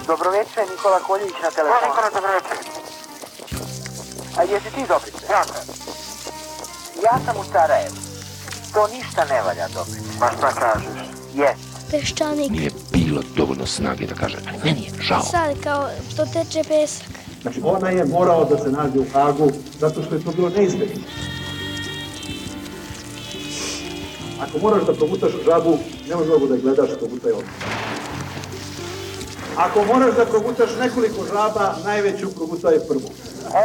Dobroveče, Nikola Koljević na telefonu. Nikola, dobroveče. A jesi ti Dobrice? Jako. Ja sam u Sarajevu. To ništa ne valja, Dobrice. Pa šta kažeš? Jes. Peščanik. Nije bilo dovoljno snage da kaže, ali meni je žao. Sad kao što teče pesak. Znači, ona je morao da se nađe u Hagu zato što je to bilo neizbježno. Ako moraš da progutaš žabu, nemoj mnogo da je gledaš, progutaj ovdje. Ako moraš da progutaš nekoliko žaba, najveću progutaj prvu.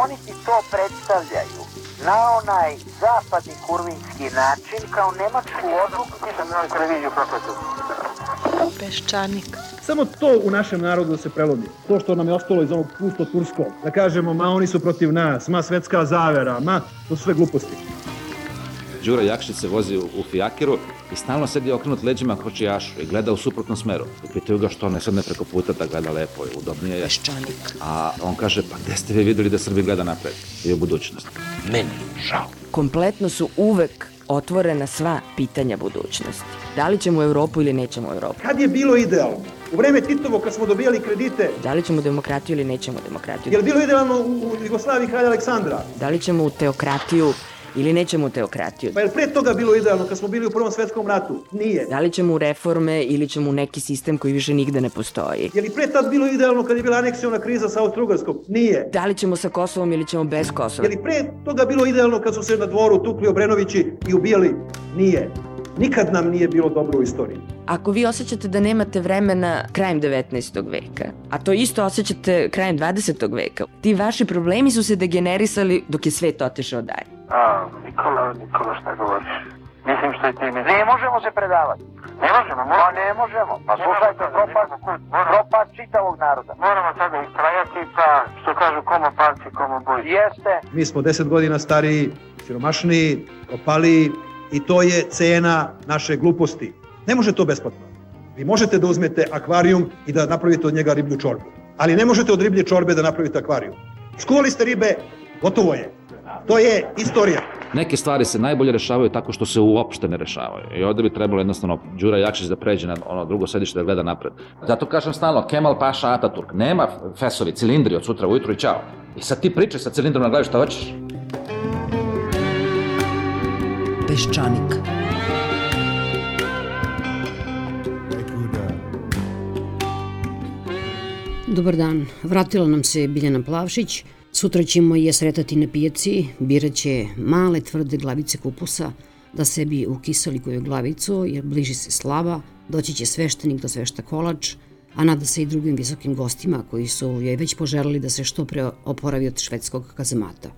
Oni ti to predstavljaju na onaj zapadni kurvinski način kao nemačku odluku. Nisam na televiziju prokletu. Peščanik. Samo to u našem narodu da se prelomi. To što nam je ostalo iz onog pusto turskog. Da kažemo, ma oni su protiv nas, ma svetska zavera, ma to su sve gluposti. Đura Jakšić se vozi u fijakiru i stalno sedi okrenut leđima kočijašu i gleda u suprotnom smeru. I pitaju ga što ne sedne preko puta da gleda lepo i udobnije je. Peščanik. A on kaže, pa gde ste vi videli da Srbi gleda napred i u budućnost? Meni žao. Kompletno su uvek otvorena sva pitanja budućnosti. Da li ćemo u Evropu ili nećemo u Evropu? Kad je bilo idealno? U vreme Titovo kad smo dobijali kredite. Da li ćemo demokratiju ili nećemo demokratiju? Je li bilo idealno u Jugoslaviji kralja Aleksandra? Da li ćemo u teokratiju ili nećemo u teokratiju? Pa je li pre toga bilo idealno kad smo bili u Prvom svetskom ratu? Nije. Da li ćemo u reforme ili ćemo u neki sistem koji više nigde ne postoji? Je li pre tad bilo idealno kad je bila aneksiona kriza sa Austro-Ugarskom? Nije. Da li ćemo sa Kosovom ili ćemo bez Kosova? Je li pre toga bilo idealno kad su se na dvoru tukli Obrenovići i ubijali? Nije. Nikad nam nije bilo dobro u istoriji. Ako vi osjećate da nemate vremena krajem 19. veka, a to isto osjećate krajem 20. veka, ti vaši problemi su se degenerisali dok je svet otišao dalje. Nikola, šta govoriš? Mislim što je ti mislim. Ne možemo se predavati. Ne možemo, Pa ne možemo. Pa slušajte, propad čitavog naroda. Moramo sada istrajati, pa što kažu komo palci, komo boji. Jeste. Mi smo 10 godina stariji, siromašniji, propaliji i to je cena naše gluposti. Ne može to besplatno. Vi možete da uzmete akvarijum i da napravite od njega riblju čorbu. Ali ne možete od riblje čorbe da napravite akvarijum. Skuvali ste ribe, gotovo je. To je istorija. Neke stvari se najbolje rešavaju tako što se uopšte ne rešavaju. I ovde bi trebalo jednostavno Đura Jakšić da pređe na ono drugo sedište da gleda napred. Zato kažem stalno, Kemal Paša Ataturk, nema fesovi, cilindri od sutra ujutru i čao. I sad ti pričaj sa cilindrom na glavi šta hoćeš. Peščanik. Dobar dan, vratila nam se Biljana Plavšić. Sutra ćemo je sretati na pijaci, birat će male tvrde glavice kupusa da sebi ukisali koju glavicu, jer bliži se slava, doći će sveštenik da svešta kolač, a nada se i drugim visokim gostima koji su joj već poželeli da se što pre oporavi od švedskog kazamata.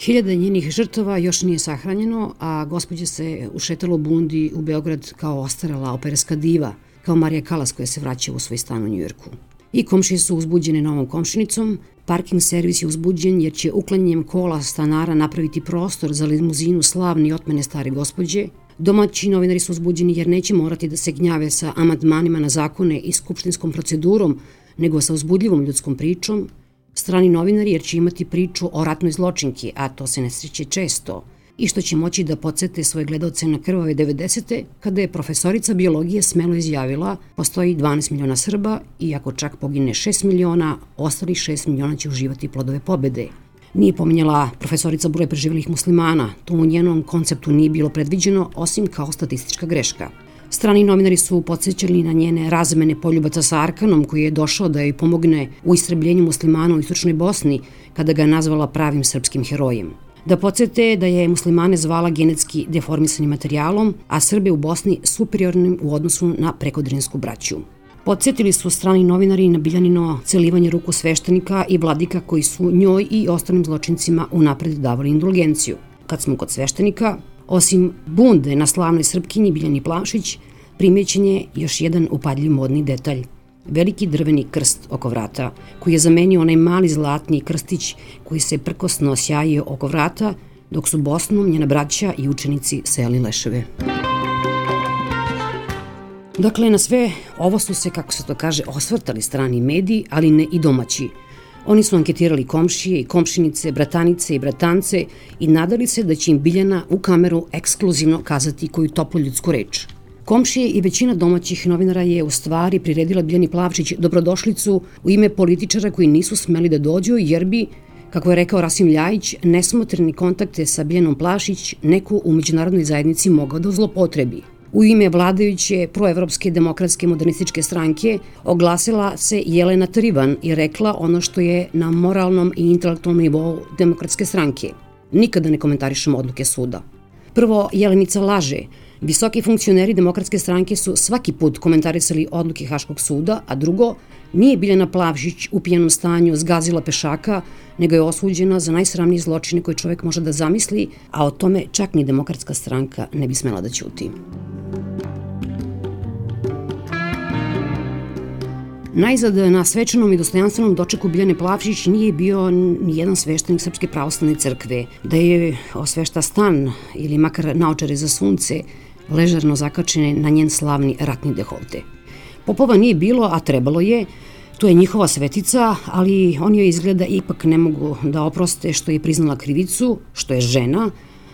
Hiljade njenih žrtava još nije sahranjeno, a gospođa se ušetala u bundi u Beograd kao ostarala operska diva, kao Marija Kalas koja se vraća u svoj stan u Njujorku. I komšije su uzbuđene novom komšinicom, parking servis je uzbuđen jer će uklanjanjem kola stanara napraviti prostor za limuzinu slavne i otmene stare gospođe. Domaći novinari su uzbuđeni jer neće morati da se gnjave sa amandmanima na zakone i skupštinskom procedurom, nego sa uzbudljivom ljudskom pričom. Strani novinari jer će imati priču o ratnoj zločinki, a to se ne sreće često, i što će moći da podsete svoje gledaoce na krvave 90. kada je profesorica biologije smelo izjavila postoji 12 miliona Srba i ako čak pogine 6 miliona, ostalih 6 miliona će uživati plodove pobede. Nije pominjala profesorica broj preživelih muslimana, to u njenom konceptu nije bilo predviđeno osim kao statistička greška. Strani novinari su podsjećali na njene razmene poljubaca sa Arkanom koji je došao da joj pomogne u istrebljenju muslimana u istočnoj Bosni kada ga je nazvala pravim srpskim herojem. Da podsjete da je muslimane zvala genetski deformisanim materijalom, a Srbe u Bosni superiornim u odnosu na prekodrinsku braću. Podsjetili su strani novinari na Biljanino celivanje ruku sveštenika i vladika koji su njoj i ostalim zločincima unapred davali indulgenciju. Kad smo kod sveštenika, osim bunde na slavnoj Srpkinji Biljani Plavšić, primećen je još jedan upadljiv modni detalj. Veliki drveni krst oko vrata, koji je zamenio onaj mali zlatni krstić koji se prkosno sjajio oko vrata, dok su Bosnom njena braća i učenici sejali leševe. Dakle, na sve ovo su se, kako se to kaže, osvrtali strani mediji, ali ne i domaći. Oni su anketirali komšije i komšinice, bratanice i bratance i nadali se da će im Biljana u kameru ekskluzivno kazati koju toplu ljudsku reč. Komšije i većina domaćih novinara je u stvari priredila Biljani Plavšić dobrodošlicu u ime političara koji nisu smeli da dođu jer bi, kako je rekao Rasim Ljajić, nesmotreni kontakte sa Biljanom Plavšić neko u međunarodnoj zajednici mogao da zlopotrebi. U ime vladajuće proevropske demokratske modernističke stranke oglasila se Jelena Trivan i rekla ono što je na moralnom i intelektualnom nivou demokratske stranke. Nikada ne komentarišemo odluke suda. Prvo, Jelenica laže. Visoki funkcioneri demokratske stranke su svaki put komentarisali odluke Haškog suda, a drugo, nije Biljana Plavšić u pijanom stanju zgazila pešaka, nego je osuđena za najsramnije zločine koje čovek može da zamisli, a o tome čak ni demokratska stranka ne bi smela da ćuti. Najzad, na svečanom i dostojanstvenom dočeku Biljane Plavšić nije bio ni jedan sveštenik Srpske pravoslavne crkve. Da je osvešta stan ili makar naočare za sunce ležerno zakačene na njen slavni ratni deholte. Popova nije bilo, a trebalo je. To je njihova svetica, ali oni joj izgleda ipak ne mogu da oproste što je priznala krivicu, što je žena,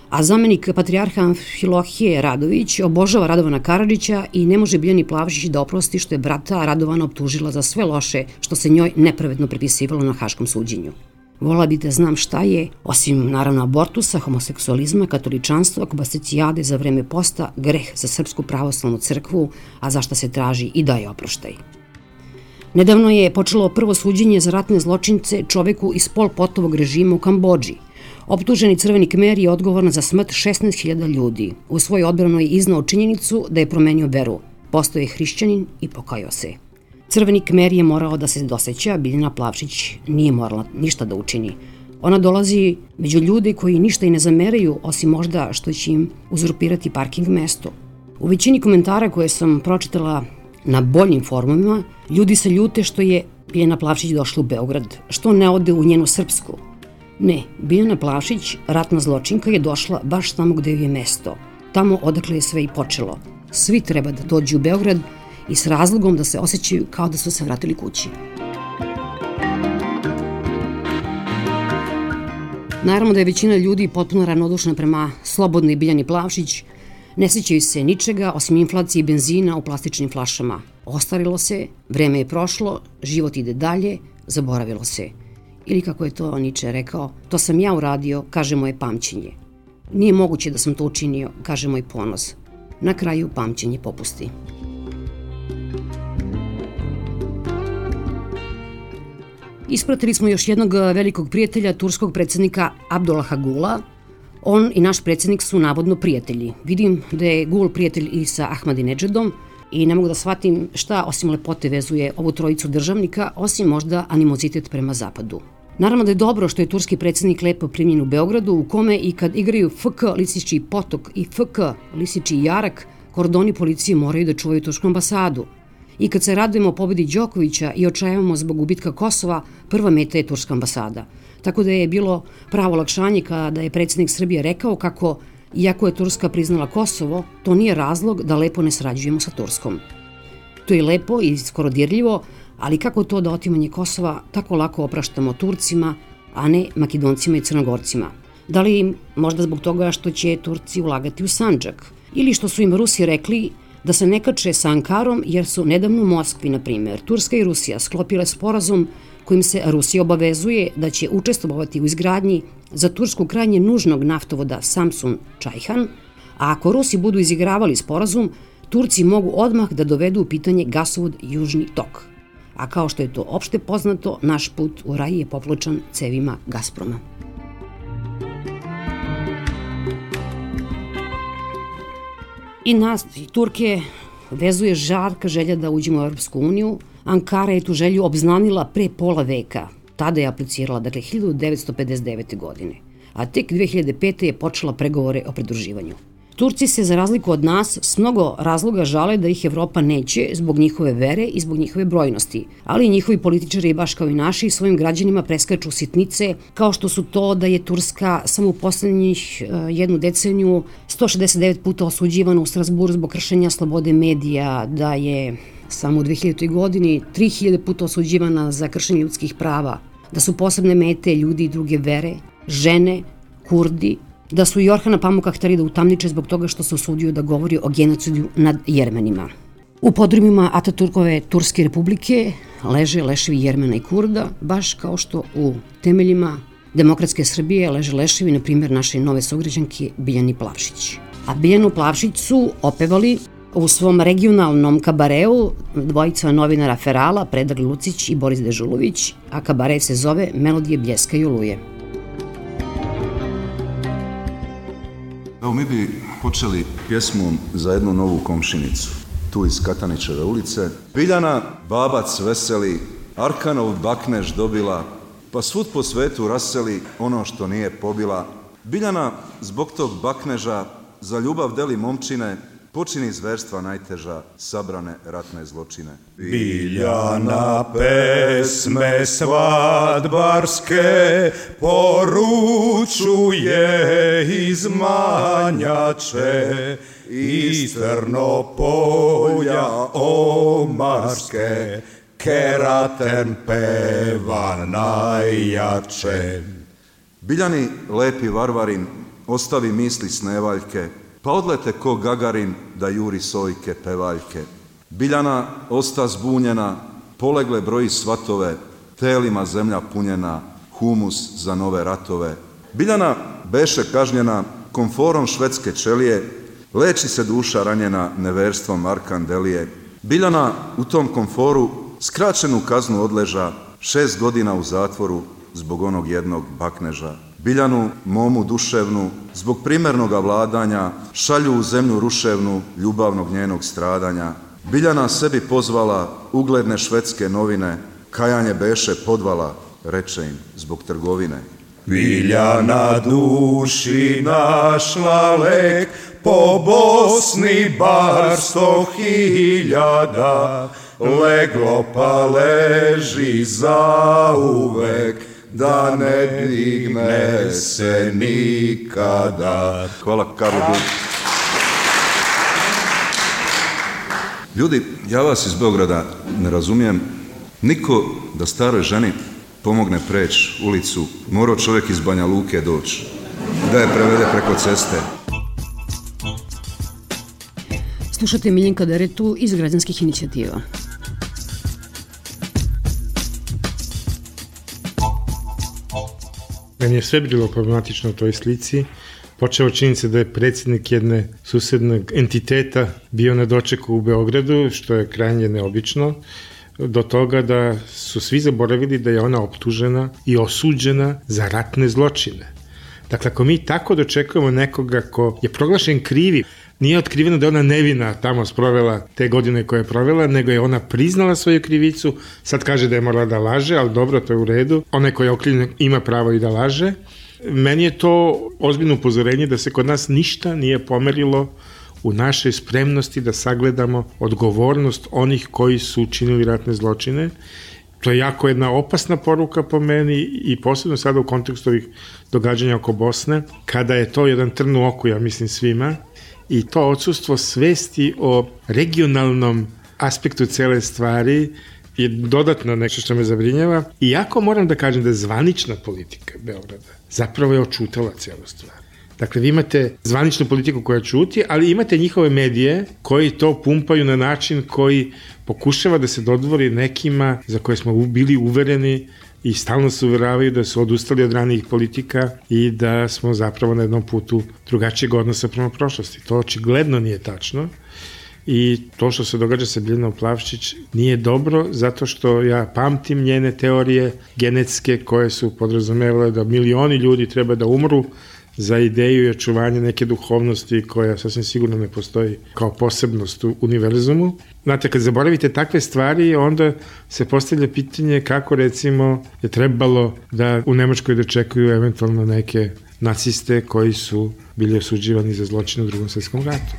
a zamenik patrijarha Amfilohije Radović obožava Radovana Karadžića i ne može Biljani Plavšić da oprosti što je brata Radovana optužila za sve loše što se njoj nepravedno pripisivalo na haškom suđenju. Volila bi da znam šta je, osim naravno abortusa, homoseksualizma, katoličanstva, kobasecijade za vreme posta, greh za Srpsku pravoslavnu crkvu, a za šta se traži i daje oproštaj. Nedavno je počelo prvo suđenje za ratne zločince čoveku iz Pol Potovog režima u Kambodži. Optuženi Crveni Kmer je odgovoran za smrt 16.000 ljudi. U svojoj odbranu je iznao činjenicu da je promenio veru. Postao je hrišćanin i pokajao se. Crveni Kmer je morao da se doseća, Biljana Plavšić nije morala ništa da učini. Ona dolazi među ljude koji ništa i ne zameraju, osim možda što će im uzurpirati parking mesto. U većini komentara koje sam pročitala na boljim forumima, ljudi se ljute što je Biljana Plavšić došla u Beograd, što ne ode u njenu Srpsku. Ne, Biljana Plavšić, ratna zločinka, je došla baš tamo gde joj je mesto. Tamo odakle je sve i počelo. Svi treba da dođu u Beograd i s razlogom da se osjećaju kao da su se vratili kući. Naravno da je većina ljudi potpuno ravnodušna prema slobodnoj Biljani Plavšić. Ne sećaju se ničega osim inflacije benzina u plastičnim flašama. Ostarilo se, vreme je prošlo, život ide dalje, zaboravilo se. Ili kako je to Niče rekao, to sam ja uradio, kaže moje pamćenje. Nije moguće da sam to učinio, kaže moj ponos. Na kraju pamćenje popusti. Ispratili smo još jednog velikog prijatelja, turskog predsjednika Abdullaha Gula. On i naš predsjednik su navodno prijatelji. Vidim da je Gul prijatelj i sa Ahmadinedžadom i ne mogu da shvatim šta osim lepote vezuje ovu trojicu državnika, osim možda animozitet prema zapadu. Naravno da je dobro što je turski predsjednik lepo primljen u Beogradu, u kome i kad igraju FK Lisički potok i FK Lisički jarak, kordoni policije moraju da čuvaju tursku ambasadu. I kad se radujemo pobedi Đokovića i očajavamo zbog gubitka Kosova, prva meta je turska ambasada. Tako da je bilo pravo olakšanje kada je predsjednik Srbije rekao kako, iako je Turska priznala Kosovo, to nije razlog da lepo ne sarađujemo sa Turskom. To je lepo i skoro dirljivo, ali kako to da otimanje Kosova tako lako opraštamo Turcima, a ne Makedoncima i Crnogorcima? Da li možda zbog toga što će Turci ulagati u Sandžak? Ili što su im Rusi rekli da se ne kače sa Ankarom jer su nedavno u Moskvi, na primjer, Turska i Rusija sklopile sporazum kojim se Rusija obavezuje da će učestvovati u izgradnji za Tursku krajnje nužnog naftovoda Samsun-Čajhan, a ako Rusi budu izigravali sporazum, Turci mogu odmah da dovedu u pitanje gasovod Južni tok. A kao što je to opšte poznato, naš put u raj je popločan cevima Gazproma. I nas, i Turke, vezuje žarka želja da uđemo u Europsku uniju. Ankara je tu želju obznanila pre pola veka. Tada je aplicirala, dakle, 1959. godine. A tek 2005. je počela pregovore o pridruživanju. Turci se, za razliku od nas, s mnogo razloga žale da ih Evropa neće zbog njihove vere i zbog njihove brojnosti. Ali njihovi političari, baš kao i naši, svojim građanima preskaču sitnice, kao što su to da je Turska samo u poslednjih jednu deceniju 169 puta osuđivana u Strasburu zbog kršenja slobode medija, da je samo u 2000. godini 3000 puta osuđivana za kršenje ljudskih prava, da su posebne mete ljudi i druge vere, žene, Kurdi, da su i Orhana Pamuka hteli da utamniče zbog toga što se usudio da govori o genocidu nad Jermenima. U podrumima Ataturkove Turske republike leže leševi Jermena i Kurda, baš kao što u temeljima demokratske Srbije leže leševi, na primjer, naše nove sugrađanke Biljani Plavšić. A Biljanu Plavšić su opevali u svom regionalnom kabareu dvojica novinara Ferala, Predrag Lucić i Boris Dežulović, a kabare se zove Melodije bljeska i oluje. Evo, mi bi počeli pjesmom za jednu novu komšinicu, tu iz Katanićeve ulice. Biljana babac veseli, Arkanov bakneš dobila, pa svud po svetu raseli ono što nije pobila. Biljana zbog tog bakneža za ljubav deli momčine, počini zverstva najteža, sabrane ratne zločine. Biljana pesme svadbarske poručuje iz Manjače, iz Trnopolja omarske, Keraten peva najjače. Biljani lepi varvarin ostavi misli snevaljke, pa odlete ko Gagarin da juri sojke pevaljke. Biljana osta zbunjena, polegle broji svatove, telima zemlja punjena, humus za nove ratove. Biljana beše kažnjena komforom švedske čelije, leči se duša ranjena neverstvom Arkandelije. Biljana u tom komforu skraćenu kaznu odleža, 6 godina u zatvoru zbog onog jednog bakneža. Biljanu, momu duševnu, zbog primernoga vladanja, šalju u zemlju ruševnu ljubavnog njenog stradanja. Biljana sebi pozvala ugledne švedske novine, kajanje beše podvala, reče im, zbog trgovine. Biljana duši našla lek, po Bosni bar 100.000, leglo pa leži zauvek, da ne digne se nikada. Hvala, Karlo. Ljudi, ja vas iz Beograda ne razumijem. Niko da staroj ženi pomogne preći ulicu, morao čovjek iz Banja Luke doći, da je prevede preko ceste. Slušate Miljenka Deretu iz Građanskih inicijativa. Meni je sve bilo problematično u toj slici. Počeo činjenica da je predsjednik jedne susednog entiteta bio na dočeku u Beogradu, što je krajnje neobično, do toga da su svi zaboravili da je ona optužena i osuđena za ratne zločine. Dakle, ako mi tako dočekujemo nekoga ko je proglašen krivi, nije otkriveno da je ona nevina tamo sprovela te godine koje je provela, nego je ona priznala svoju krivicu, sad kaže da je morala da laže, ali dobro, to je u redu. Onaj koji je okrivljen ima pravo i da laže. Meni je to ozbiljno upozorenje da se kod nas ništa nije pomerilo u našoj spremnosti da sagledamo odgovornost onih koji su učinili ratne zločine. To je jako jedna opasna poruka po meni i posebno sada u kontekstu ovih događanja oko Bosne, kada je to jedan trn u oku, ja mislim, svima, i to odsustvo svesti o regionalnom aspektu cele stvari je dodatno nešto što me zabrinjava. Iako moram da kažem da je zvanična politika Beograda zapravo je očutala celu stvar. Dakle, vi imate zvaničnu politiku koja čuti, ali imate njihove medije koji to pumpaju na način koji pokušava da se dodvori nekima za koje smo bili uvereni i stalno se uveravaju da su odustali od ranijih politika i da smo zapravo na jednom putu drugačijeg odnosa prema prošlosti. To očigledno nije tačno i to što se događa sa Biljanom Plavšić nije dobro, zato što ja pamtim njene teorije genetske koje su podrazumevale da milioni ljudi treba da umru za ideju i očuvanje neke duhovnosti koja sasvim sigurno ne postoji kao posebnost u univerzumu. Znate, kad zaboravite takve stvari, onda se postavlja pitanje kako, recimo, je trebalo da u Nemačkoj dočekuju eventualno neke naciste koji su bili osuđivani za zločine u Drugom svjetskom ratu.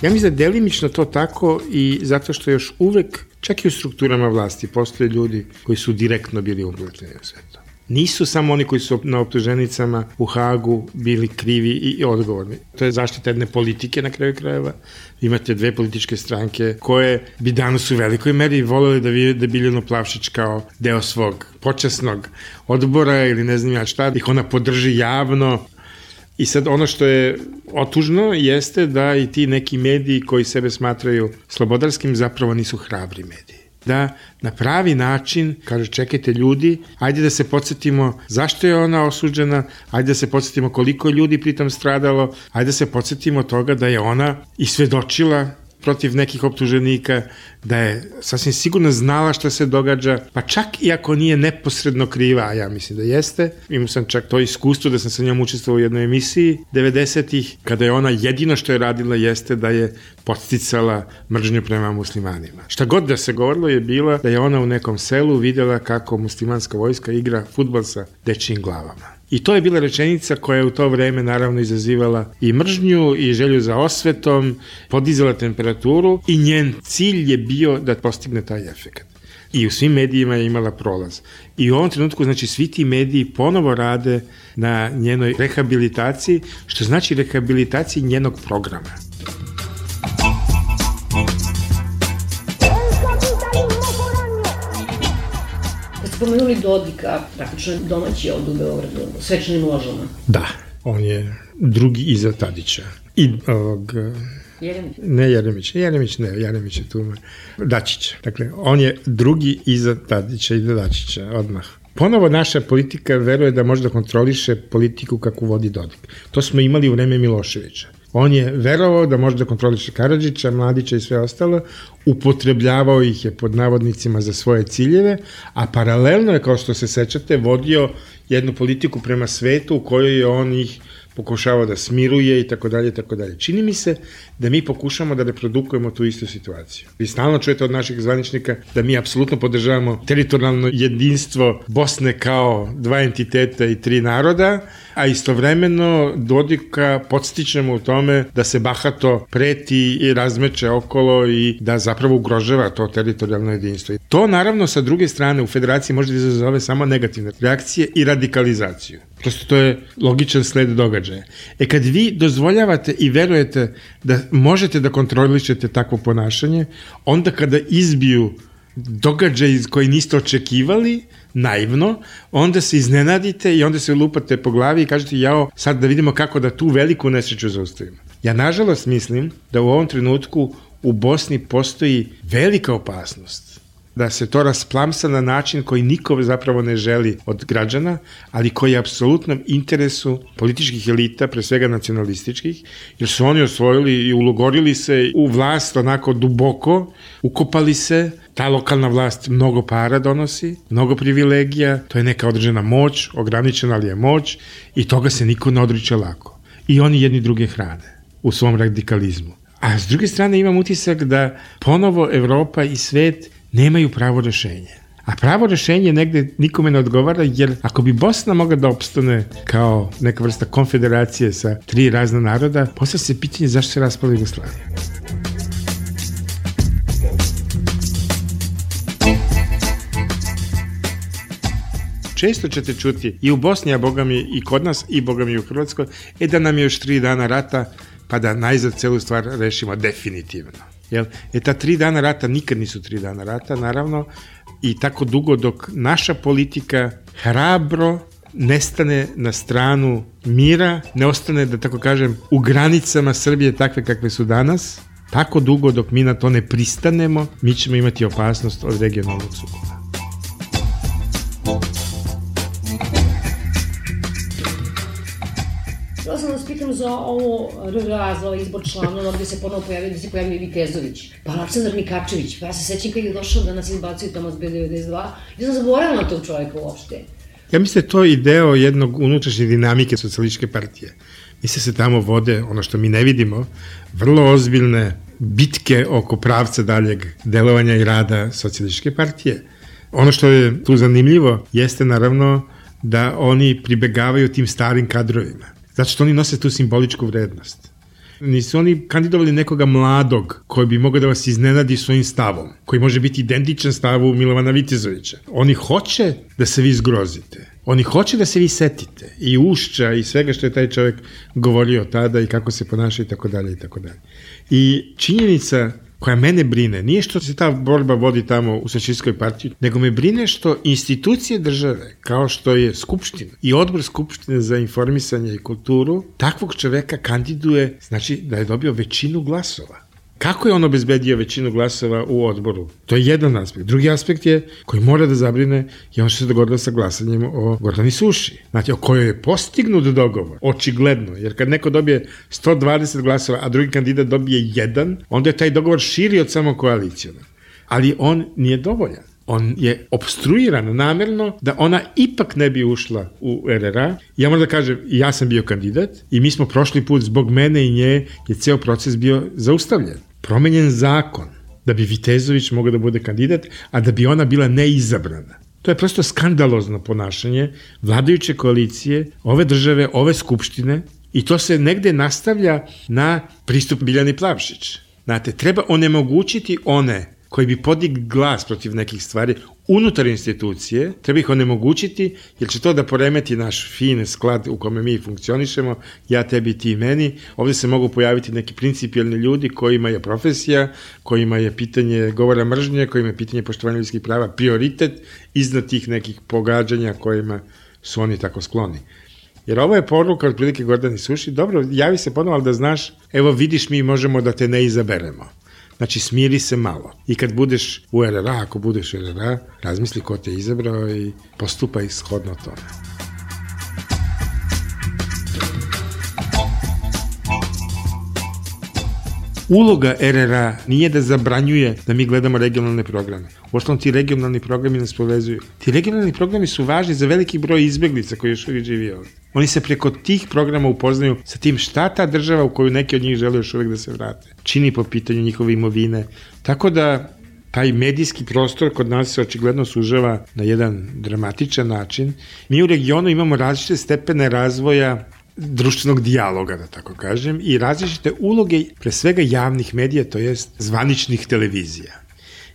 Ja mislim da delimično to tako i zato što još uvek, čak i u strukturama vlasti, postoje ljudi koji su direktno bili upleteni u sve to. Nisu samo oni koji su na optuženicama u Hagu bili krivi i odgovorni. To je zaštita jedne politike na kraju krajeva. Imate dve političke stranke koje bi danas u velikoj meri voleli da vide Biljanu Plavšić kao deo svog počasnog odbora ili ne znam ja šta, ih ona podrži javno. I sad ono što je otužno jeste da i ti neki mediji koji sebe smatraju slobodarskim zapravo nisu hrabri mediji. Da na pravi način kaže čekajte ljudi, ajde da se podsjetimo zašto je ona osuđena, ajde da se podsjetimo koliko je ljudi pritom stradalo, ajde da se podsjetimo toga da je ona i svedočila protiv nekih optuženika, da je sasvim sigurno znala šta se događa, pa čak i ako nije neposredno kriva, a ja mislim da jeste. Imao sam čak to iskustvo da sam sa njom učestvovao u jednoj emisiji 90-ih, kada je ona jedino što je radila jeste da je podsticala mržnju prema muslimanima. Šta god da se govorilo je bila da je ona u nekom selu videla kako muslimanska vojska igra fudbal sa dečijim glavama. I to je bila rečenica koja je u to vreme naravno izazivala i mržnju i želju za osvetom, podizala temperaturu i njen cilj je bio da postigne taj efekt. I u svim medijima je imala prolaz. I u ovom trenutku, znači, svi ti mediji ponovo rade na njenoj rehabilitaciji, što znači rehabilitaciji njenog programa. Spomenuli Dodika, praktično domaći ovdje u Beogradu, svečanim ložama. Da, on je drugi iza Tadića. I ovog... Jeremić? Jeremić je tu. Dačića. Dakle, on je drugi iza Tadića i Dačića, odmah. Ponovo naša politika veruje da može da kontroliše politiku kakvu vodi Dodik. To smo imali u vreme Miloševića. On je verovao da može da kontroliše Karadžića, Mladića i sve ostalo, upotrebljavao ih je pod navodnicima za svoje ciljeve, a paralelno je, kao što se sećate, vodio jednu politiku prema svetu u kojoj je on ih pokušavao da smiruje i tako dalje, tako dalje. Čini mi se da mi pokušamo da reprodukujemo tu istu situaciju. Vi stalno čujete od naših zvaničnika da mi apsolutno podržavamo teritorijalno jedinstvo Bosne kao dva entiteta i tri naroda, a istovremeno Dodika podstičemo u tome da se bahato preti i razmeće okolo i da zapravo ugrožava to teritorijalno jedinstvo. To naravno sa druge strane u federaciji može da izazove samo negativne reakcije i radikalizaciju. Prosto to je logičan sled događaja. Kad vi dozvoljavate i verujete da možete da kontrolišete takvo ponašanje, onda kada izbiju događaj koji niste očekivali, naivno, onda se iznenadite i onda se lupate po glavi i kažete jao, sad da vidimo kako da tu veliku nesreću zaustavimo. Ja nažalost mislim da u ovom trenutku u Bosni postoji velika opasnost da se to rasplamsa na način koji niko zapravo ne želi od građana, ali koji je apsolutnom interesu političkih elita, pre svega nacionalističkih, jer su oni osvojili i ulogorili se u vlast onako duboko, ukopali se, ta lokalna vlast mnogo para donosi, mnogo privilegija, to je neka određena moć, ograničena ali je moć i toga se niko ne odriče lako. I oni jedni druge hrane u svom radikalizmu. A s druge strane imam utisak da ponovo Evropa i svet nemaju pravo rešenje. A pravo rešenje negde nikome ne odgovara, jer ako bi Bosna mogla da opstane kao neka vrsta konfederacije sa tri razna naroda, postavlja se pitanje zašto se raspala Jugoslavija. Često ćete čuti i u Bosni, a bogami i kod nas, i bogami u Hrvatskoj, da nam je još 3 dana rata, pa da najzad celu stvar rešimo definitivno. Ta 3 dana rata nikad nisu 3 dana rata, naravno, i tako dugo dok naša politika hrabro nestane na stranu mira, ne ostane, da tako kažem, u granicama Srbije takve kakve su danas, tako dugo dok mi na to ne pristanemo, mi ćemo imati opasnost od regionalnog sukoba. Htjela sam vas pitam za ovo RRA, za ovaj izbor članova gde se ponovo pojavio i Vikezović, pa Aleksandar Mikačević, pa ja se sećam kad je došao da nas izbacuju tamo s B92, ja sam zaboravila na tog čovjeka uopšte. Ja mislim da je to i deo jednog unutrašnje dinamike socijalističke partije. Mislim se tamo vode, ono što mi ne vidimo, vrlo ozbiljne bitke oko pravca daljeg delovanja i rada socijalističke partije. Ono što je tu zanimljivo jeste naravno da oni pribegavaju tim starim kadrovima. Zato što oni nose tu simboličku vrednost. Nisu oni kandidovali nekoga mladog koji bi mogao da vas iznenadi svojim stavom, koji može biti identičan stavu Milovana Vitezovića. Oni hoće da se vi zgrozite. Oni hoće da se vi setite i Ušća i svega što je taj čovjek govorio tada i kako se ponaša i tako dalje i tako dalje. I činjenica koja mene brine nije što se ta borba vodi tamo u Socijalističkoj partiji, nego me brine što institucije države, kao što je Skupština i odbor Skupštine za informisanje i kulturu, takvog čoveka kandiduje, znači da je dobio većinu glasova. Kako je on obezbedio većinu glasova u odboru? To je jedan aspekt. Drugi aspekt je, koji mora da zabrine, je ono što se dogodilo sa glasanjem o Gordani Suši. Znači, o kojoj je postignut dogovor, očigledno, jer kad neko dobije 120 glasova, a drugi kandidat dobije 1, onda je taj dogovor širi od samo koalicijona. Ali on nije dovoljan. On je obstruiran namerno da ona ipak ne bi ušla u RRA. Ja moram da kažem, ja sam bio kandidat i mi smo prošli put zbog mene i nje je ceo proces bio zaustavljen. Promenjen zakon da bi Vitezović mogao da bude kandidat, a da bi ona bila neizabrana. To je prosto skandalozno ponašanje vladajuće koalicije, ove države, ove skupštine i to se negde nastavlja na pristup Biljani Plavšić. Znate, treba onemogućiti one koji bi podigli glas protiv nekih stvari unutar institucije, treba ih onemogućiti, jer će to da poremeti naš fin sklad u kome mi funkcionišemo, ja, tebi, ti, meni. Ovde se mogu pojaviti neki principijelni ljudi kojima je profesija, kojima je pitanje govora mržnje, kojima je pitanje poštovanja ljudskih prava prioritet iznad tih nekih pogađanja kojima su oni tako skloni. Jer ovo je poruka od prilike Gordani Suši, dobro, javi se ponovo, ali da znaš, evo vidiš, mi možemo da te ne izaberemo. Znači, smiri se malo. I kad budeš u RRA, ako budeš u RRA, razmisli ko te je izabrao i postupaj shodno tome. Uloga RRA nije da zabranjuje da mi gledamo regionalne programe. Uostalom, ti regionalni programi nas povezuju. Ti regionalni programi su važni za veliki broj izbeglica koji još uvijek živi ovdje. Oni se preko tih programa upoznaju sa tim šta ta država u koju neki od njih žele još uvijek da se vrate čini po pitanju njihove imovine. Tako da taj medijski prostor kod nas se očigledno sužava na jedan dramatičan način. Mi u regionu imamo različite stepene razvoja društvenog dijaloga, da tako kažem, i različite uloge, pre svega javnih medija, to jest zvaničnih televizija.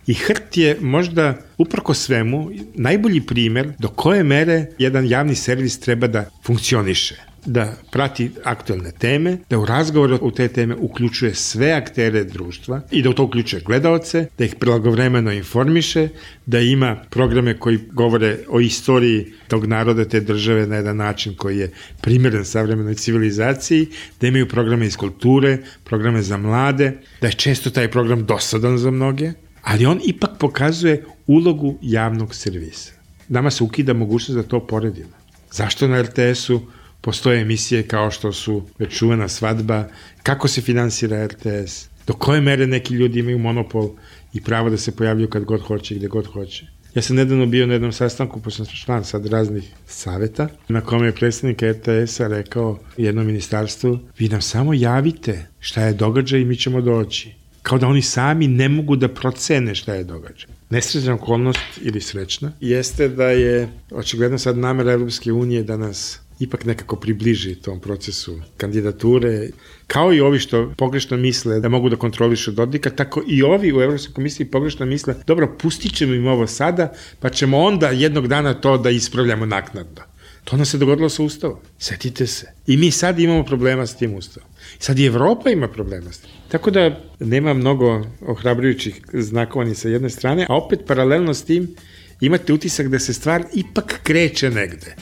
I HRT je možda, uprko svemu, najbolji primer do koje mere jedan javni servis treba da funkcioniše, da prati aktuelne teme, da u razgovoru u te teme uključuje sve aktere društva i da u to uključuje gledaoce, da ih blagovremeno informiše, da ima programe koji govore o istoriji tog naroda, te države na jedan način koji je primjeren savremenoj civilizaciji, da imaju programe iz kulture, programe za mlade, da je često taj program dosadan za mnoge, ali on ipak pokazuje ulogu javnog servisa. Nama se ukida mogućnost da to poredimo. Zašto na RTS-u postoje emisije kao što su već čuvena Svadba, kako se finansira RTS, do koje mere neki ljudi imaju monopol i pravo da se pojavljuju kad god hoće i gde god hoće. Ja sam nedavno bio na jednom sastanku, pošto sam član sad raznih saveta, na kome je predstavnik RTS-a rekao jednom ministarstvu, vi nam samo javite šta je događaj i mi ćemo doći. Kao da oni sami ne mogu da procene šta je događaj. Nesrećna okolnost ili srećna jeste da je očigledno sad namera Evropske unije da nas ipak nekako približi tom procesu kandidature, kao i ovi što pogrešno misle da mogu da kontrolišu Dodika, tako i ovi u Evropskoj komisiji pogrešno misle, dobro, pustit ćemo im ovo sada, pa ćemo onda jednog dana to da ispravljamo naknadno. To nam se dogodilo sa Ustavom. Setite se. I mi sad imamo problema s tim Ustavom. Sad i Evropa ima problema s tim. Tako da nema mnogo ohrabrujućih znakova ni sa jedne strane, a opet paralelno s tim imate utisak da se stvar ipak kreće negde.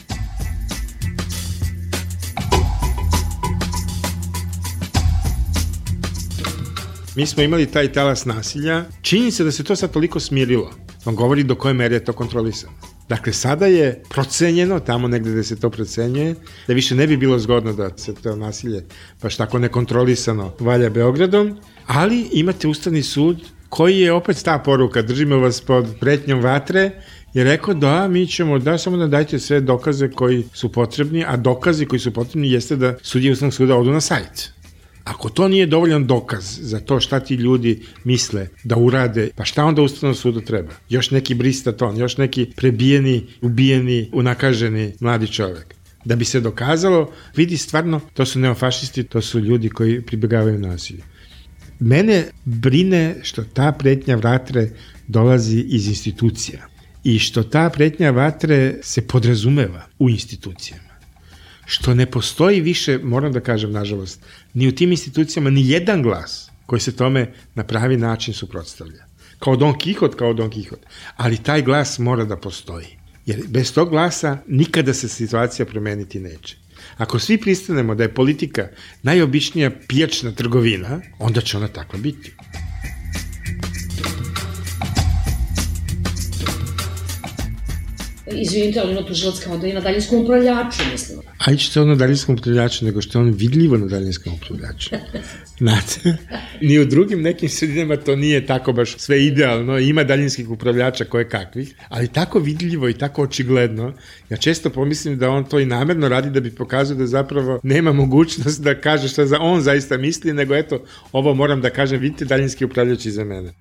Mi smo imali taj talas nasilja. Čini se da se to sad toliko smirilo. On govori do koje mere je to kontrolisano. Dakle, sada je procenjeno, tamo negde gde se to procenjuje, da više ne bi bilo zgodno da se to nasilje baš tako nekontrolisano valja Beogradom, ali imate Ustavni sud koji je opet ta poruka, držimo vas pod pretnjom vatre, je rekao da mi ćemo, da samo da dajte sve dokaze koji su potrebni, a dokazi koji su potrebni jeste da sudije Ustavnog suda odu na sajt. Ako to nije dovoljan dokaz za to šta ti ljudi misle da urade, pa šta onda Ustavnom sudu treba? Još neki bristaton, još neki prebijeni, ubijeni, unakaženi mladi čovek. Da bi se dokazalo, vidi stvarno, to su neofašisti, to su ljudi koji pribegavaju nasilju. Mene brine što ta pretnja vatre dolazi iz institucija. i što ta pretnja vatre se podrazumeva u institucijama. Što ne postoji više, moram da kažem nažalost, ni u tim institucijama ni jedan glas koji se tome na pravi način suprotstavlja. Kao Don Kihot, ali taj glas mora da postoji. Jer bez tog glasa nikada se situacija promeniti neće. Ako svi pristanemo da je politika najobičnija pijačna trgovina, onda će ona takva biti. Izvinite, ali na tužilac kao da je na daljinskom upravljaču, mislim. A što je on na daljinskom upravljaču, nego što je on vidljivo na daljinskom upravljaču. Znate, ni u drugim nekim sredinama to nije tako baš sve idealno, ima daljinskih upravljača koje kakvih, ali tako vidljivo i tako očigledno, ja često pomislim da on to i namerno radi da bi pokazao da zapravo nema mogućnost da kaže šta on zaista misli, nego eto, ovo moram da kažem, vidite daljinski upravljač iza mene.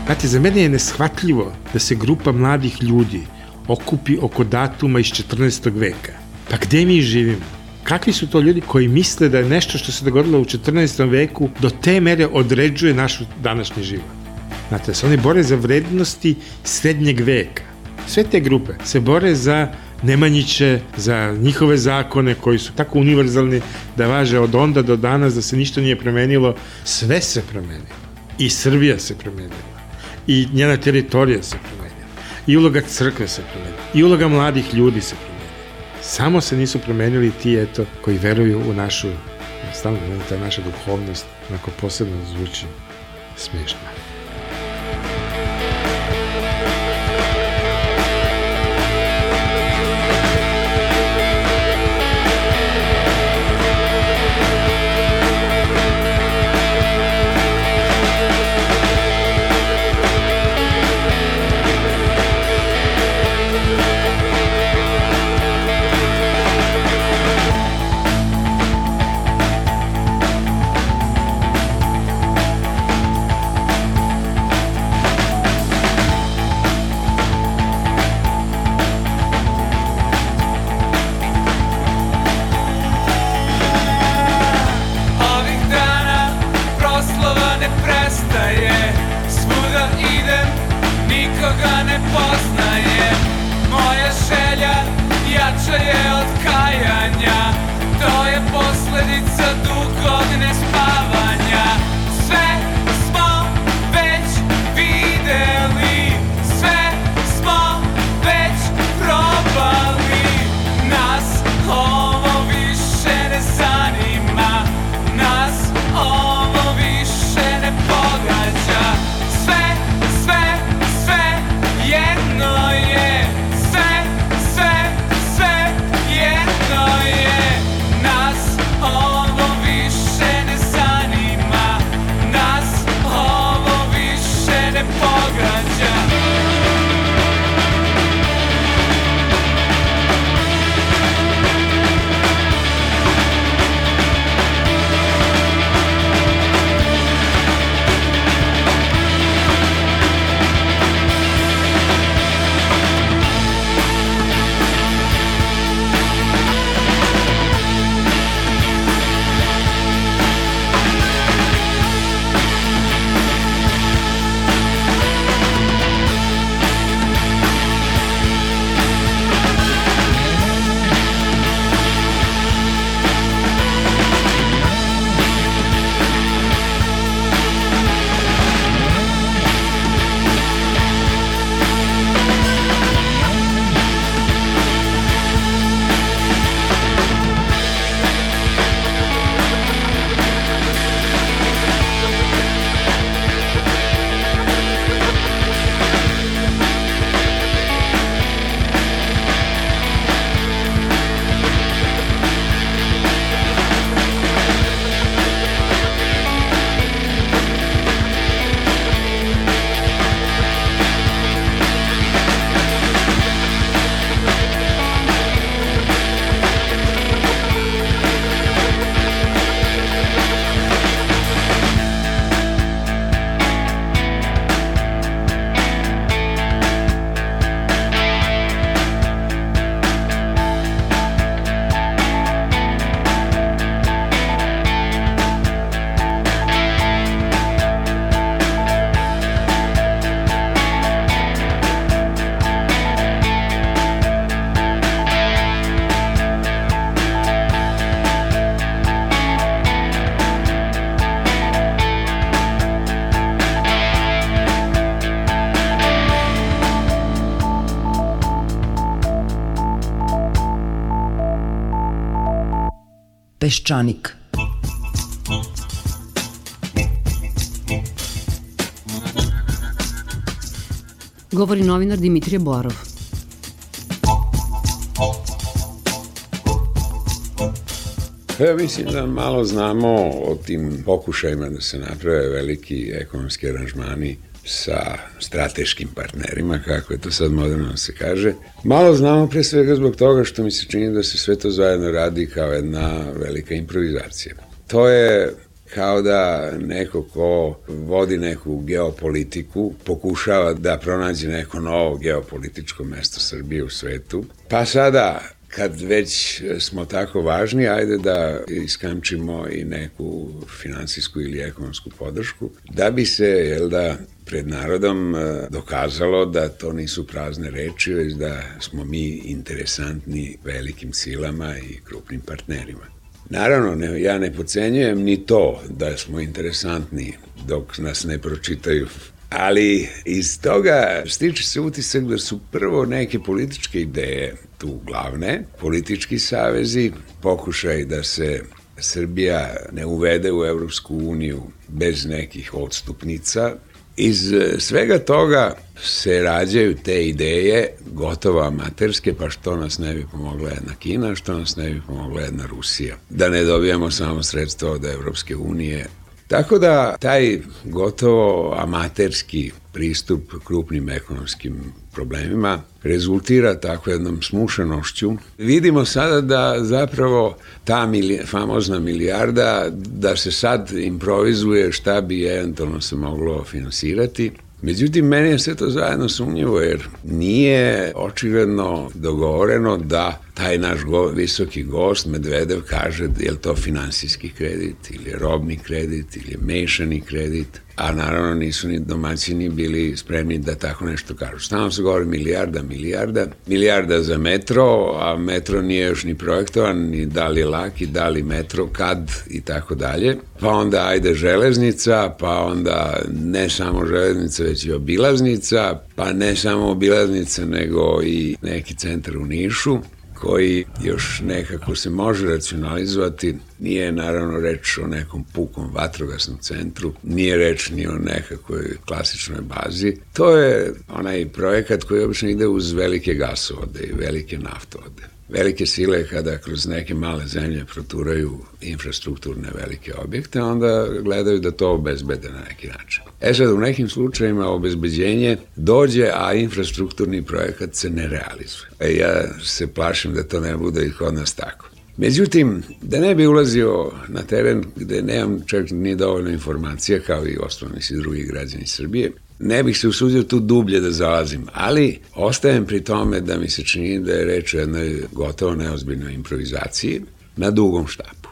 Znate, za mene je neshvatljivo da se grupa mladih ljudi okupi oko datuma iz 14. veka. Pa gde mi živimo? Kakvi su to ljudi koji misle da je nešto što se dogodilo u 14. veku do te mere određuje naš današnji život? Znate, da se oni bore za vrednosti srednjeg veka. Sve te grupe se bore za Nemanjiće, za njihove zakone koji su tako univerzalni da važe od onda do danas, da se ništa nije promenilo. Sve se promenilo. I Srbija se promenila. I njena teritorija se promenila. I uloga crkve se promenila. I uloga mladih ljudi se promenila. Samo se nisu promenili ti, eto, koji veruju u našu, stalno ta naša duhovnost, onako posebno zvuči smiješno. Peščanik. Govori novinar Dimitrije Boarov. Ja mislim da malo znamo o tim pokušajima da se naprave veliki ekonomski aranžmani sa strateškim partnerima, kako je to sad moderno se kaže. Malo znamo pre svega zbog toga što mi se čini da se sve to zajedno radi kao jedna velika improvizacija. To je kao da neko ko vodi neku geopolitiku pokušava da pronađe neko novo geopolitičko mesto Srbije u svetu. Pa sada, kad već smo tako važni, ajde da iskamčimo i neku finansijsku ili ekonomsku podršku, da bi se, pred narodom dokazalo da to nisu prazne reči, već da smo mi interesantni velikim silama i krupnim partnerima. Naravno, ja ne podcenjujem ni to da smo interesantni dok nas ne pročitaju, ali iz toga stiče se utisak da su prvo neke političke ideje tu glavne, politički savezi, pokušaj da se Srbija ne uvede u Evropsku uniju bez nekih odstupnica. Iz svega toga se rađaju te ideje, gotovo amaterske, pa što nas ne bi pomogla jedna Kina, što nas ne bi pomogla jedna Rusija. Da ne dobijemo samo sredstva od Evropske unije. Tako da taj gotovo amaterski pristup krupnim ekonomskim problemima rezultira tako jednom smušanošću. Vidimo sada da zapravo ta famozna milijarda, da se sad improvizuje šta bi eventualno se moglo finansirati. Međutim, meni je sve to zajedno sumnjivo, jer nije očigledno dogovoreno da taj naš visoki gost Medvedev kaže je li to finansijski kredit ili je robni kredit ili je mešani kredit, a naravno nisu ni domaćini bili spremni da tako nešto kažu. Stalno se govori milijarda za metro, a metro nije još ni projektovan, ni da li je laki, da li metro, kad i tako dalje. Pa onda ajde železnica, pa onda ne samo železnica, već i obilaznica, pa ne samo obilaznica, nego i neki centar u Nišu, koji još nekako se može racionalizovati. Nije naravno reč o nekom pukom vatrogasnom centru, nije reč ni o nekakvoj klasičnoj bazi. To je onaj projekat koji obično ide uz velike gasovode i velike naftovode. Velike sile kada kroz neke male zemlje proturaju infrastrukturne velike objekte, onda gledaju da to obezbede na neki način. Sad, u nekim slučajima obezbeđenje dođe, a infrastrukturni projekat se ne realizuje. Ja se plašim da to ne bude i kod nas tako. Međutim, da ne bi ulazio na teren gde nemam čak ni dovoljno informacija, kao i ostalni svi drugi građani Srbije, ne bih se usudio tu dublje da zalazim, ali ostajem pri tome da mi se čini da je reč o jednoj gotovo neozbiljnoj improvizaciji na dugom štapu.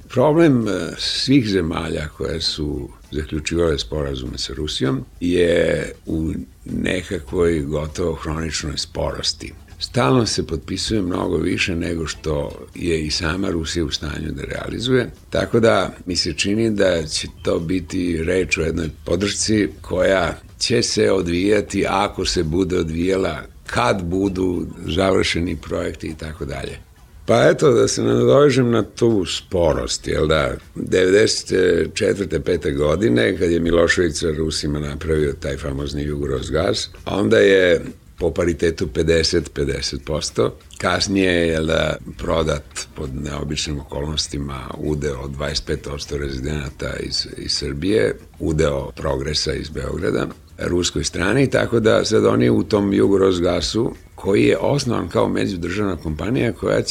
Problem svih zemalja koje su zaključivale sporazume sa Rusijom je u nekakvoj gotovo hroničnoj sporosti. Stalno se potpisuje mnogo više nego što je i sama Rusija u stanju da realizuje, tako da mi se čini da će to biti reč o jednoj podršci koja će se odvijati ako se bude odvijala, kad budu završeni projekti i tako dalje. Pa eto, da se nadovežem na tu sporost, 94. 5. godine, kad je Milošević sa Rusima napravio taj famozni Jugorosgas, onda je po paritetu 50%. Kasnije je prodat pod neobičnim okolnostima udeo od 25% rezidenata iz Srbije, udeo Progresa iz Beograda, ruskoj strani, tako da sad oni u tom Jugorosgasu, koji je osnovan kao međudržavna kompanija koja